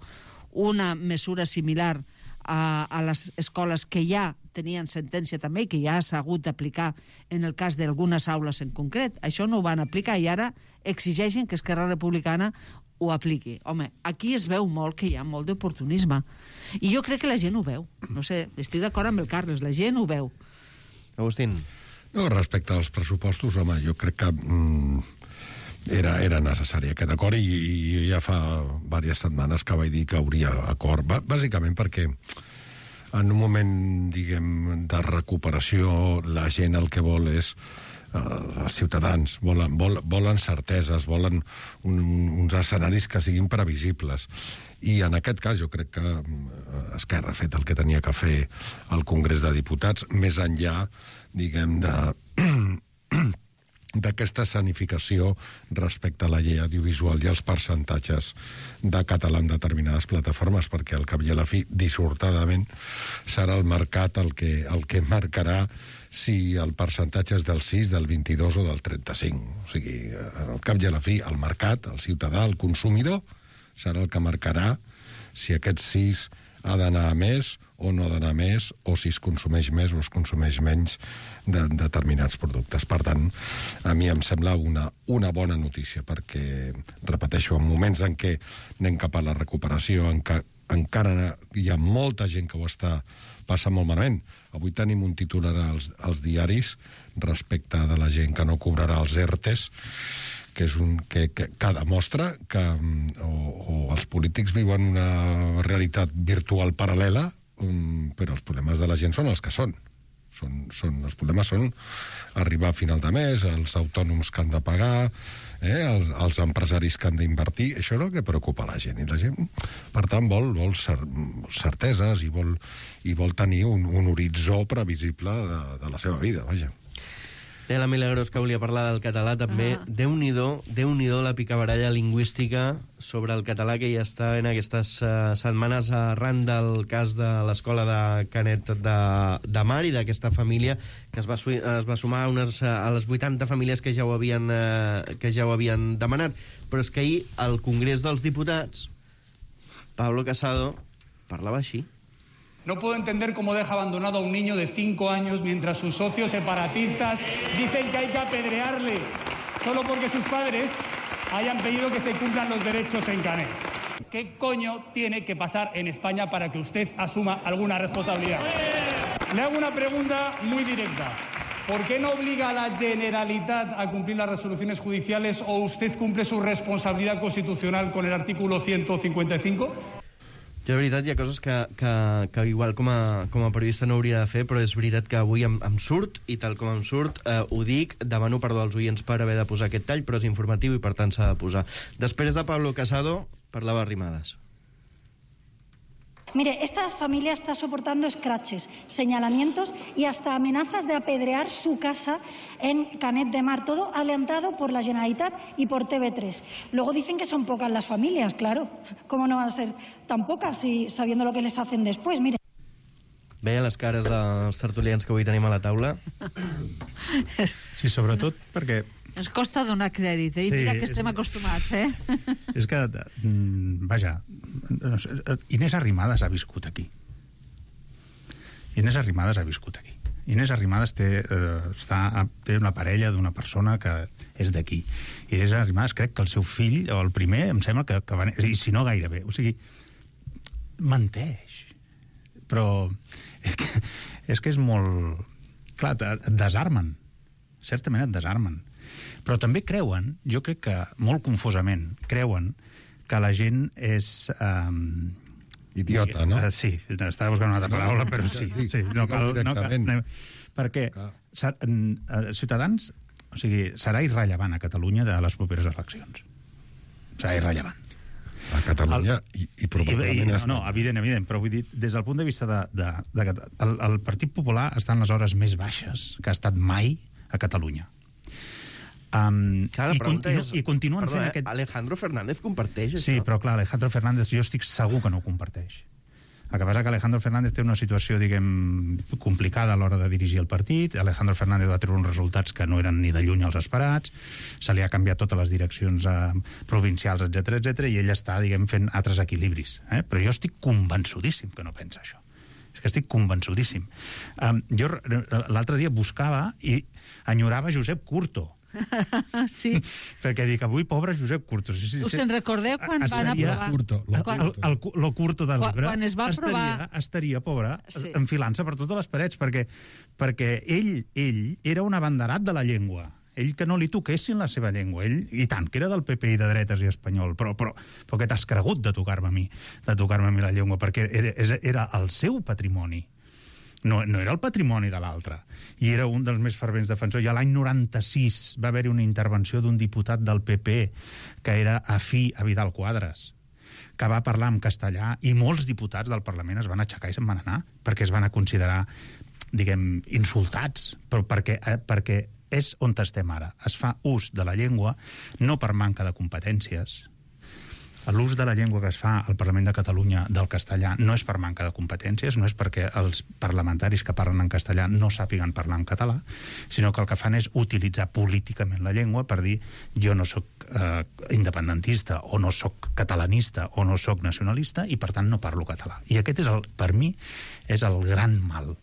una mesura similar a les escoles que ja tenien sentència també i que ja s'ha hagut d'aplicar en el cas d'algunes aules en concret. Això no ho van aplicar i ara exigeixen que Esquerra Republicana ho apliqui. Home, aquí es veu molt que hi ha molt d'oportunisme. I jo crec que la gent ho veu. No sé, estic d'acord amb el Carles, la gent ho veu. Agustín. No, respecte als pressupostos, home, jo crec que era necessari aquest acord i ja fa diverses setmanes que vaig dir que hauria acord, bàsicament perquè en un moment, diguem, de recuperació la gent el que vol és els ciutadans volen certeses, volen uns escenaris que siguin previsibles. I en aquest cas jo crec que Esquerra ha fet el que tenia que fer al Congrés de Diputats, més enllà, diguem, d'aquesta escenificació respecte a la llei audiovisual i els percentatges de català en determinades plataformes, perquè al cap i a la fi, dissortadament, serà el mercat el que marcarà si el percentatge és del 6, del 22 o del 35. O sigui, al cap i a la fi, el mercat, el ciutadà, el consumidor, serà el que marcarà si aquest 6 ha d'anar a més o no ha d'anar a més, o si es consumeix més o es consumeix menys de determinats productes. Per tant, a mi em sembla una bona notícia, perquè, repeteixo, en moments en què anem cap a la recuperació, en què encara hi ha molta gent que ho està passant molt malament. Avui tenim un titular als diaris respecte de la gent que no cobrarà els ERTEs, que demostra que o els polítics viuen una realitat virtual paral·lela, però els problemes de la gent són els que són. Els problemes són arribar a final de mes, els autònoms que han de pagar, els empresaris que han d'invertir. Això és el que preocupa la gent. I la gent, per tant, vol certeses i vol tenir un horitzó previsible de la seva vida, vaja. La Milagros, que volia parlar del català també. Déu-n'hi-do la picabaralla lingüística sobre el català que ja està en aquestes setmanes arran del cas de l'escola de Canet de Mar i d'aquesta família que es va sumar a les 80 famílies que ja ho havien demanat. Però és que ahir al Congrés dels Diputats Pablo Casado parlava així. No puedo entender cómo deja abandonado a un niño de 5 años mientras sus socios separatistas dicen que hay que apedrearle solo porque sus padres hayan pedido que se cumplan los derechos en Canet. ¿Qué coño tiene que pasar en España para que usted asuma alguna responsabilidad? Le hago una pregunta muy directa. ¿Por qué no obliga a la Generalitat a cumplir las resoluciones judiciales o usted cumple su responsabilidad constitucional con el artículo 155? Jo, de veritat, hi ha coses que igual com a periodista no hauria de fer, però és veritat que avui em surt, i tal com em surt, ho dic, demano perdó als oients per haver de posar aquest tall, però és informatiu i per tant s'ha de posar. Després de Pablo Casado, parlava Arrimadas. Mire, esta familia está soportando escraches, señalamientos y hasta amenazas de apedrear su casa en Canet de Mar, todo alentado por la Generalitat y por TV3. Luego dicen que son pocas las familias, claro. ¿Cómo no van a ser tan pocas si sabiendo lo que les hacen después? Mire. Veia les cares dels tertulians que avui tenim a la taula? Sí, sobretot perquè... Ens costa donar crèdit, i mira que estem acostumats, És que, vaja, Inés Arrimadas ha viscut aquí. Inés Arrimadas té una parella d'una persona que és d'aquí. Inés Arrimadas, crec que el seu fill, o el primer, em sembla que va... I si no, gairebé. O sigui, menteix. Però és que és molt... Clar, et desarmen. Certament et desarmen. Però també creuen, jo crec que molt confusament, creuen que la gent és... Idiota, no? Sí, estava buscant una altra paraula, però sí. No cal, perquè Ciutadans, o sigui, serà irrellevant a Catalunya de les properes eleccions. Serà irrellevant. A Catalunya i probablement... No, evident, però vull dir, des del punt de vista el Partit Popular està en les hores més baixes que ha estat mai a Catalunya. I continuen fent aquest... Alejandro Fernández comparteix això? Sí, però clar, Alejandro Fernández jo estic segur que no ho comparteix. El que passa que Alejandro Fernández té una situació, diguem, complicada a l'hora de dirigir el partit. Alejandro Fernández va treure uns resultats que no eren ni de lluny els esperats, se li ha canviat totes les direccions provincials, etc, i ell està, diguem, fent altres equilibris. Però jo estic convençudíssim que no pensa això. És que estic convençudíssim. Jo l'altre dia buscava i enyorava Josep Curto. Sí. Perquè dic, avui pobre Josep Curto. Us en recordeu quan van aprovar? Lo Curto del llibre. Quan es va aprovar... Estaria, pobre, enfilant-se per totes les parets, perquè ell era un abanderat de la llengua. Ell que no li toquessin la seva llengua. Ell, i tant, que era del PP i de dretes i espanyol, però que t'has cregut de tocar-me a mi la llengua, perquè era el seu patrimoni. No era el patrimoni de l'altre. I era un dels més fervents defensors. I l'any 96 va haver-hi una intervenció d'un diputat del PP que era afí a Vidal Quadras, que va parlar en castellà, i molts diputats del Parlament es van aixecar i se'n van anar, perquè es van a considerar, diguem, insultats, però perquè és on estem ara. Es fa ús de la llengua no per manca de competències. L'ús de la llengua que es fa al Parlament de Catalunya del castellà no és per manca de competències, no és perquè els parlamentaris que parlen en castellà no sàpiguen parlar en català, sinó que el que fan és utilitzar políticament la llengua per dir jo no sóc independentista, o no sóc catalanista, o no sóc nacionalista, i per tant no parlo català. I aquest, per mi, és el gran mal.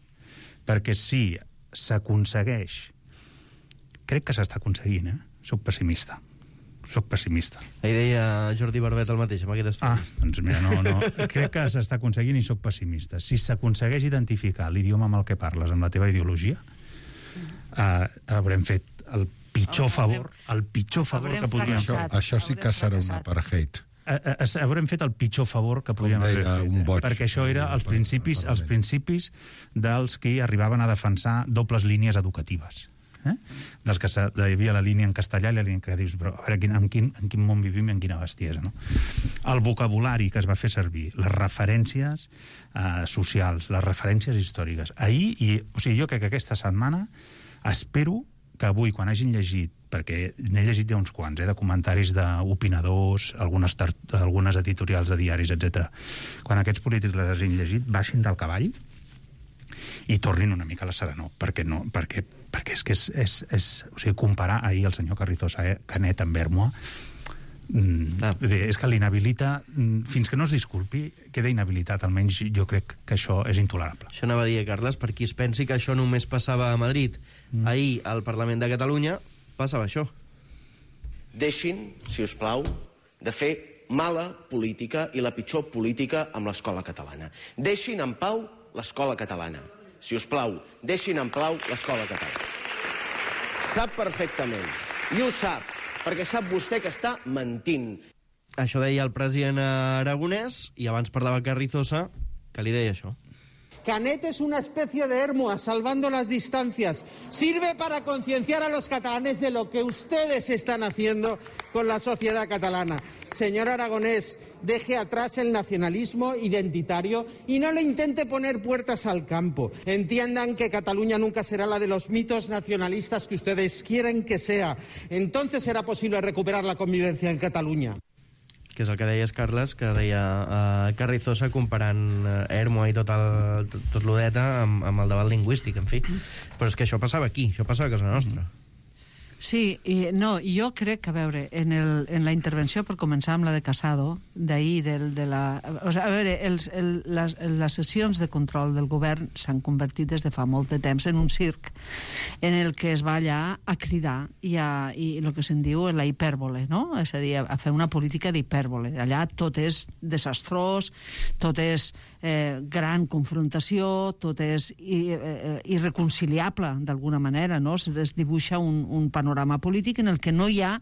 Perquè si s'aconsegueix, crec que s'està aconseguint, soc pessimista. Ahir deia Jordi Barbet el mateix, amb aquest estudi. Doncs mira, no. Crec que s'està aconseguint i soc pessimista. Si s'aconsegueix identificar l'idioma amb el que parles, amb la teva ideologia, haurem fet el pitjor favor que podríem fer. Això sí que serà un apartheid. Haurem fet el pitjor favor que podríem haver fet, perquè això era els principis dels que arribaven a defensar dobles línies educatives. Dels que hi havia la línia en castellà i la línia que dius, però a veure en quin món vivim i en quina bestiesa, no? El vocabulari que es va fer servir, les referències socials, les referències històriques. Jo crec que aquesta setmana espero que avui, quan hagin llegit, perquè n'he llegit ja uns quants, de comentaris d'opinadors, algunes editorials de diaris, etc. Quan aquests polítics les hagin llegit, baixin del cavall i tornin una mica a la serenor, perquè és que o sigui, comparar ahir el senyor Carrizosa Canet amb Ermua és que l'inhabilita, fins que no es disculpi, queda inhabilitat. Almenys jo crec que això és intolerable. Això anava a dir, Carles, per qui es pensi que això només passava a Madrid. Ahir al Parlament de Catalunya passava això. Deixin, si us plau, de fer mala política i la pitjor política amb l'escola catalana. Deixin en pau l'escola catalana. Si us plau, deixin en pau l'escola catalana. Sap perfectament, i ho sap, perquè sap vostè que està mentint. Això deia el president aragonès, i abans parlava Carrizosa, que li deia això. Canet es una especie de Hermua, salvando las distancias. Sirve para concienciar a los catalanes de lo que ustedes están haciendo con la sociedad catalana. Señor Aragonés, deje atrás el nacionalismo identitario y no le intente poner puertas al campo. Entiendan que Cataluña nunca será la de los mitos nacionalistas que ustedes quieren que sea. Entonces será posible recuperar la convivencia en Cataluña. Que és el que deies, Carles, que deia Carrizosa comparant Ermua i tot l'Odeta amb el debat lingüístic, en fi. Però és que això passava aquí, això passava a casa nostra. Sí, jo crec que, a veure, en la intervenció, per començar amb la de Casado, d'ahir, a veure, les sessions de control del govern s'han convertit des de fa molt de temps en un circ en el que es va allà a cridar i el que se'n diu la hipèrbole, no? És a dir, a fer una política d'hipèrbole. Allà tot és desastrós, tot és gran confrontació, tot és irreconciliable, d'alguna manera, no? Es dibuixa un panorama polític en el que no hi ha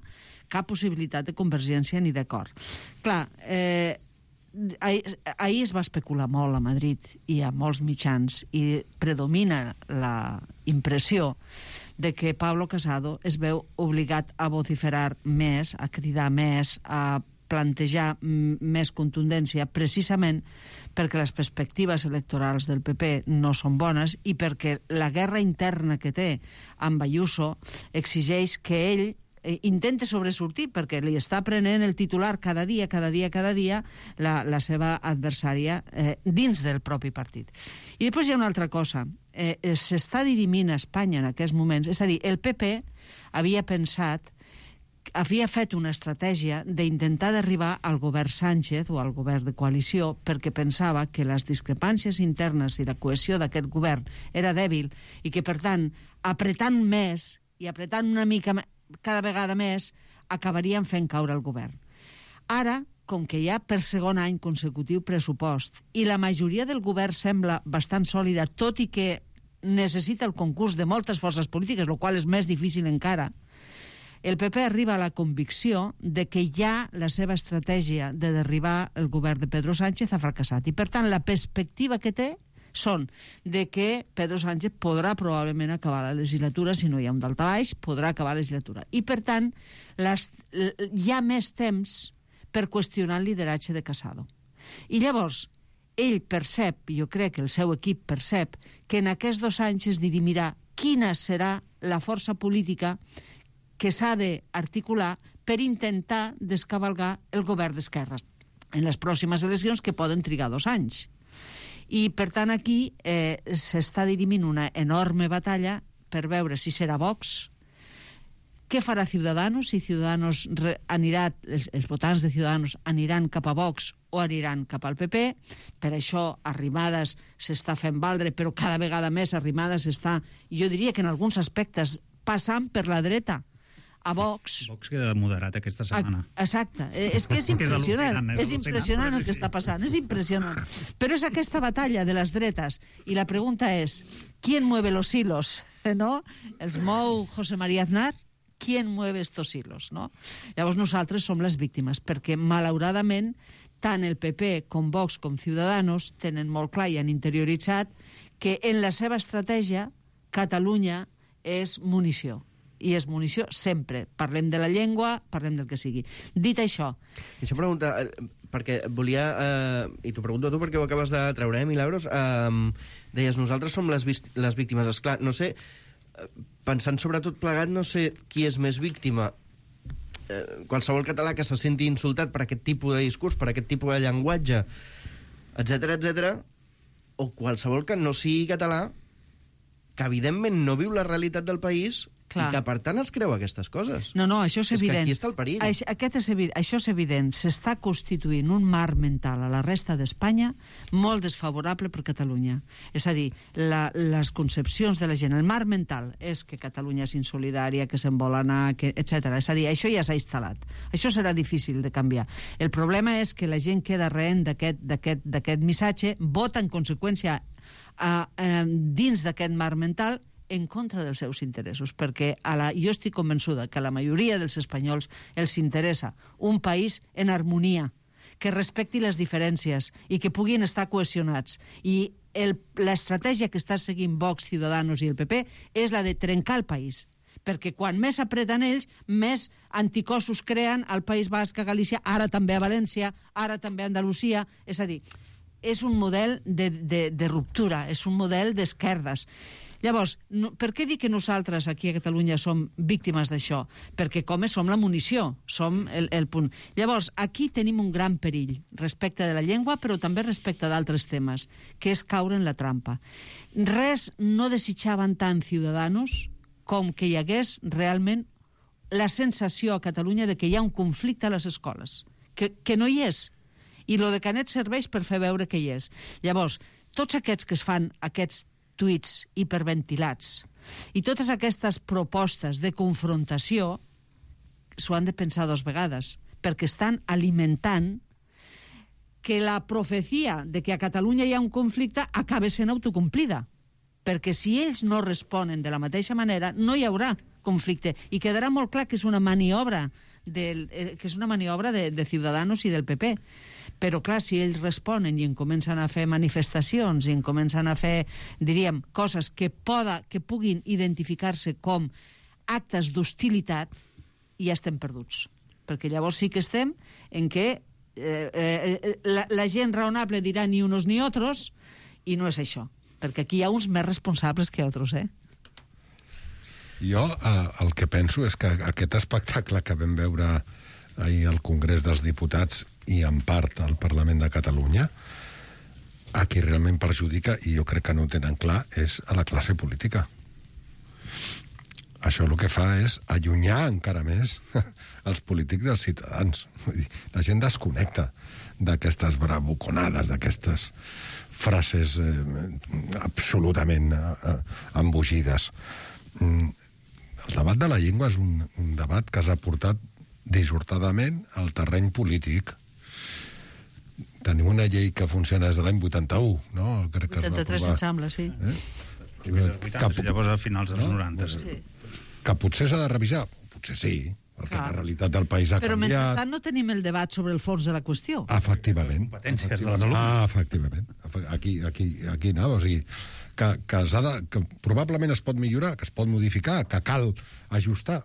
cap possibilitat de convergència ni d'acord. Clar, ahir es va especular molt a Madrid i a molts mitjans i predomina la impressió de que Pablo Casado es veu obligat a vociferar més, a cridar més, a plantejar més contundència, precisament perquè les perspectives electorals del PP no són bones i perquè la guerra interna que té amb Ayuso exigeix que ell intenta sobresortir, perquè li està prenent el titular cada dia la seva adversària dins del propi partit. I després hi ha una altra cosa. S'està dirimint a Espanya en aquests moments. És a dir, el PP havia fet una estratègia d'intentar d'arribar al govern Sánchez o al govern de coalició perquè pensava que les discrepàncies internes i la cohesió d'aquest govern era dèbil i que, per tant, apretant més i apretant una mica cada vegada més, acabarien fent caure el govern. Ara, com que hi ha per segon any consecutiu pressupost i la majoria del govern sembla bastant sòlida, tot i que necessita el concurs de moltes forces polítiques, el qual és més difícil encara, el PP arriba a la convicció de que ja la seva estratègia de derribar el govern de Pedro Sánchez ha fracassat. I, per tant, la perspectiva que té són de que Pedro Sánchez podrà probablement acabar la legislatura, si no hi ha un daltabaix, podrà acabar la legislatura. I, per tant, hi ha més temps per qüestionar el lideratge de Casado. I llavors, ell percep, jo crec que el seu equip percep, que en aquests 2 anys es dirimirà quina serà la força política que s'ha d'articular per intentar descavalgar el govern d'esquerres en les pròximes eleccions, que poden trigar 2 anys. I, per tant, aquí s'està dirimint una enorme batalla per veure si serà Vox, què farà Ciudadanos, si Ciudadanos anirà, els votants de Ciudadanos aniran cap a Vox o aniran cap al PP. Per això Arrimadas s'està fent valdre, però cada vegada més Arrimadas està, jo diria que en alguns aspectes, passant per la dreta a Vox. Vox queda moderat aquesta setmana. Exacte. És que és impressionant. És impressionant el que està passant. És impressionant. Però és aquesta batalla de les dretes. I la pregunta és, ¿quién mueve los hilos? ¿No? Els mou José María Aznar? ¿Quién mueve estos hilos? No? Llavors nosaltres som les víctimes, perquè malauradament tant el PP com Vox com Ciudadanos tenen molt clar i han interioritzat que en la seva estratègia Catalunya és munició. I és munició sempre. Parlem de la llengua, parlem del que sigui. Dit això... Deixa preguntar, perquè volia... I t'ho pregunto a tu perquè ho acabes de treure, Milagros. Deies, nosaltres som les víctimes. Esclar, no sé, pensant sobre tot plegat, no sé qui és més víctima. Qualsevol català que se senti insultat per aquest tipus de discurs, per aquest tipus de llenguatge, etc, o qualsevol que no sigui català, que evidentment no viu la realitat del país... Clar. I que, per tant, es creu aquestes coses. No, això és evident. És que aquí està el perill. Això és evident. S'està constituint un marc mental a la resta d'Espanya molt desfavorable per Catalunya. És a dir, les concepcions de la gent, el marc mental és que Catalunya és insolidària, que se'n vol anar, etc. És a dir, això ja s'ha instal·lat. Això serà difícil de canviar. El problema és que la gent queda rehent d'aquest missatge, vota en conseqüència dins d'aquest marc mental en contra dels seus interessos, perquè jo estic convençuda que a la majoria dels espanyols els interessa un país en harmonia, que respecti les diferències i que puguin estar cohesionats. I l'estratègia que està seguint Vox, Ciudadanos i el PP és la de trencar el país, perquè quan més apreten ells, més anticossos creen al País Basc, a Galícia, ara també a València, ara també a Andalusia. És a dir, és un model de ruptura, és un model d'esquerdes. Llavors, per què dic que nosaltres aquí a Catalunya som víctimes d'això? Perquè com som la munició, som el punt. Llavors, aquí tenim un gran perill respecte de la llengua, però també respecte d'altres temes, que és caure en la trampa. Res no desitjaven tant Ciudadanos com que hi hagués realment la sensació a Catalunya de que hi ha un conflicte a les escoles, que no hi és. I lo de Canet serveix per fer veure que hi és. Llavors, tots aquests que es fan aquests tuits hiperventilats i totes aquestes propostes de confrontació s'ho han de pensar 2 vegades, perquè estan alimentant que la profecia de que a Catalunya hi ha un conflicte acabi sent autocomplida, perquè si ells no responen de la mateixa manera no hi haurà conflicte i quedarà molt clar que és una maniobra de Ciudadanos i del PP. Però, clar, si ells responen i en comencen a fer manifestacions i en comencen a fer, diríem, coses que puguin identificar-se com actes d'hostilitat, ja estem perduts. Perquè llavors sí que estem en què la gent raonable dirà ni unos ni otros, i no és això. Perquè aquí hi ha uns més responsables que altres, Jo el que penso és que aquest espectacle que vam veure ahir al Congrés dels Diputats i en part al Parlament de Catalunya, a qui realment perjudica, i jo crec que no ho tenen clar, és a la classe política. Això el que fa és allunyar encara més els polítics dels ciutadans. Vull dir, la gent desconnecta d'aquestes bravuconades, d'aquestes frases absolutament embogides. El debat de la llengua és un debat que s'ha portat dissortadament al terreny polític. Tenim una llei que funciona des de l'any 81, no? Crec que 83, em sembla, sí. Llavors a finals dels 90. Que potser s'ha de revisar? Potser sí. perquè la realitat del país ha Però canviat. mentrestant no tenim el debat sobre el fons de la qüestió. Efectivament. Competències de les alumnes. Efectivament. Aquí anava, o sigui, que probablement es pot millorar, que es pot modificar, que cal ajustar,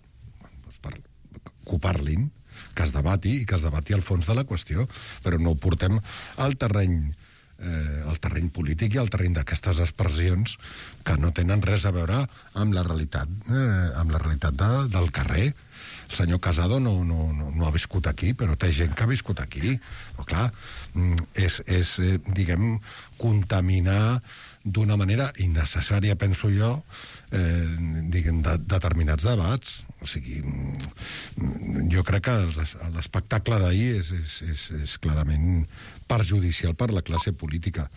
doncs que ho parlin, que es debati i que es debati el fons de la qüestió, però no ho portem al terreny polític i al terreny d'aquestes expressions que no tenen res a veure amb la realitat del carrer. El senyor Casado no ha viscut aquí, però té gent que ha viscut aquí. Però, clar, és diguem, contaminar d'una manera innecessària, penso jo, diguem, determinats debats. O sigui, jo crec que l'espectacle d'ahir és clarament perjudicial per la classe política.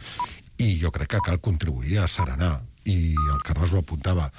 I jo crec que cal contribuir a serenar. I el Carles ho apuntava.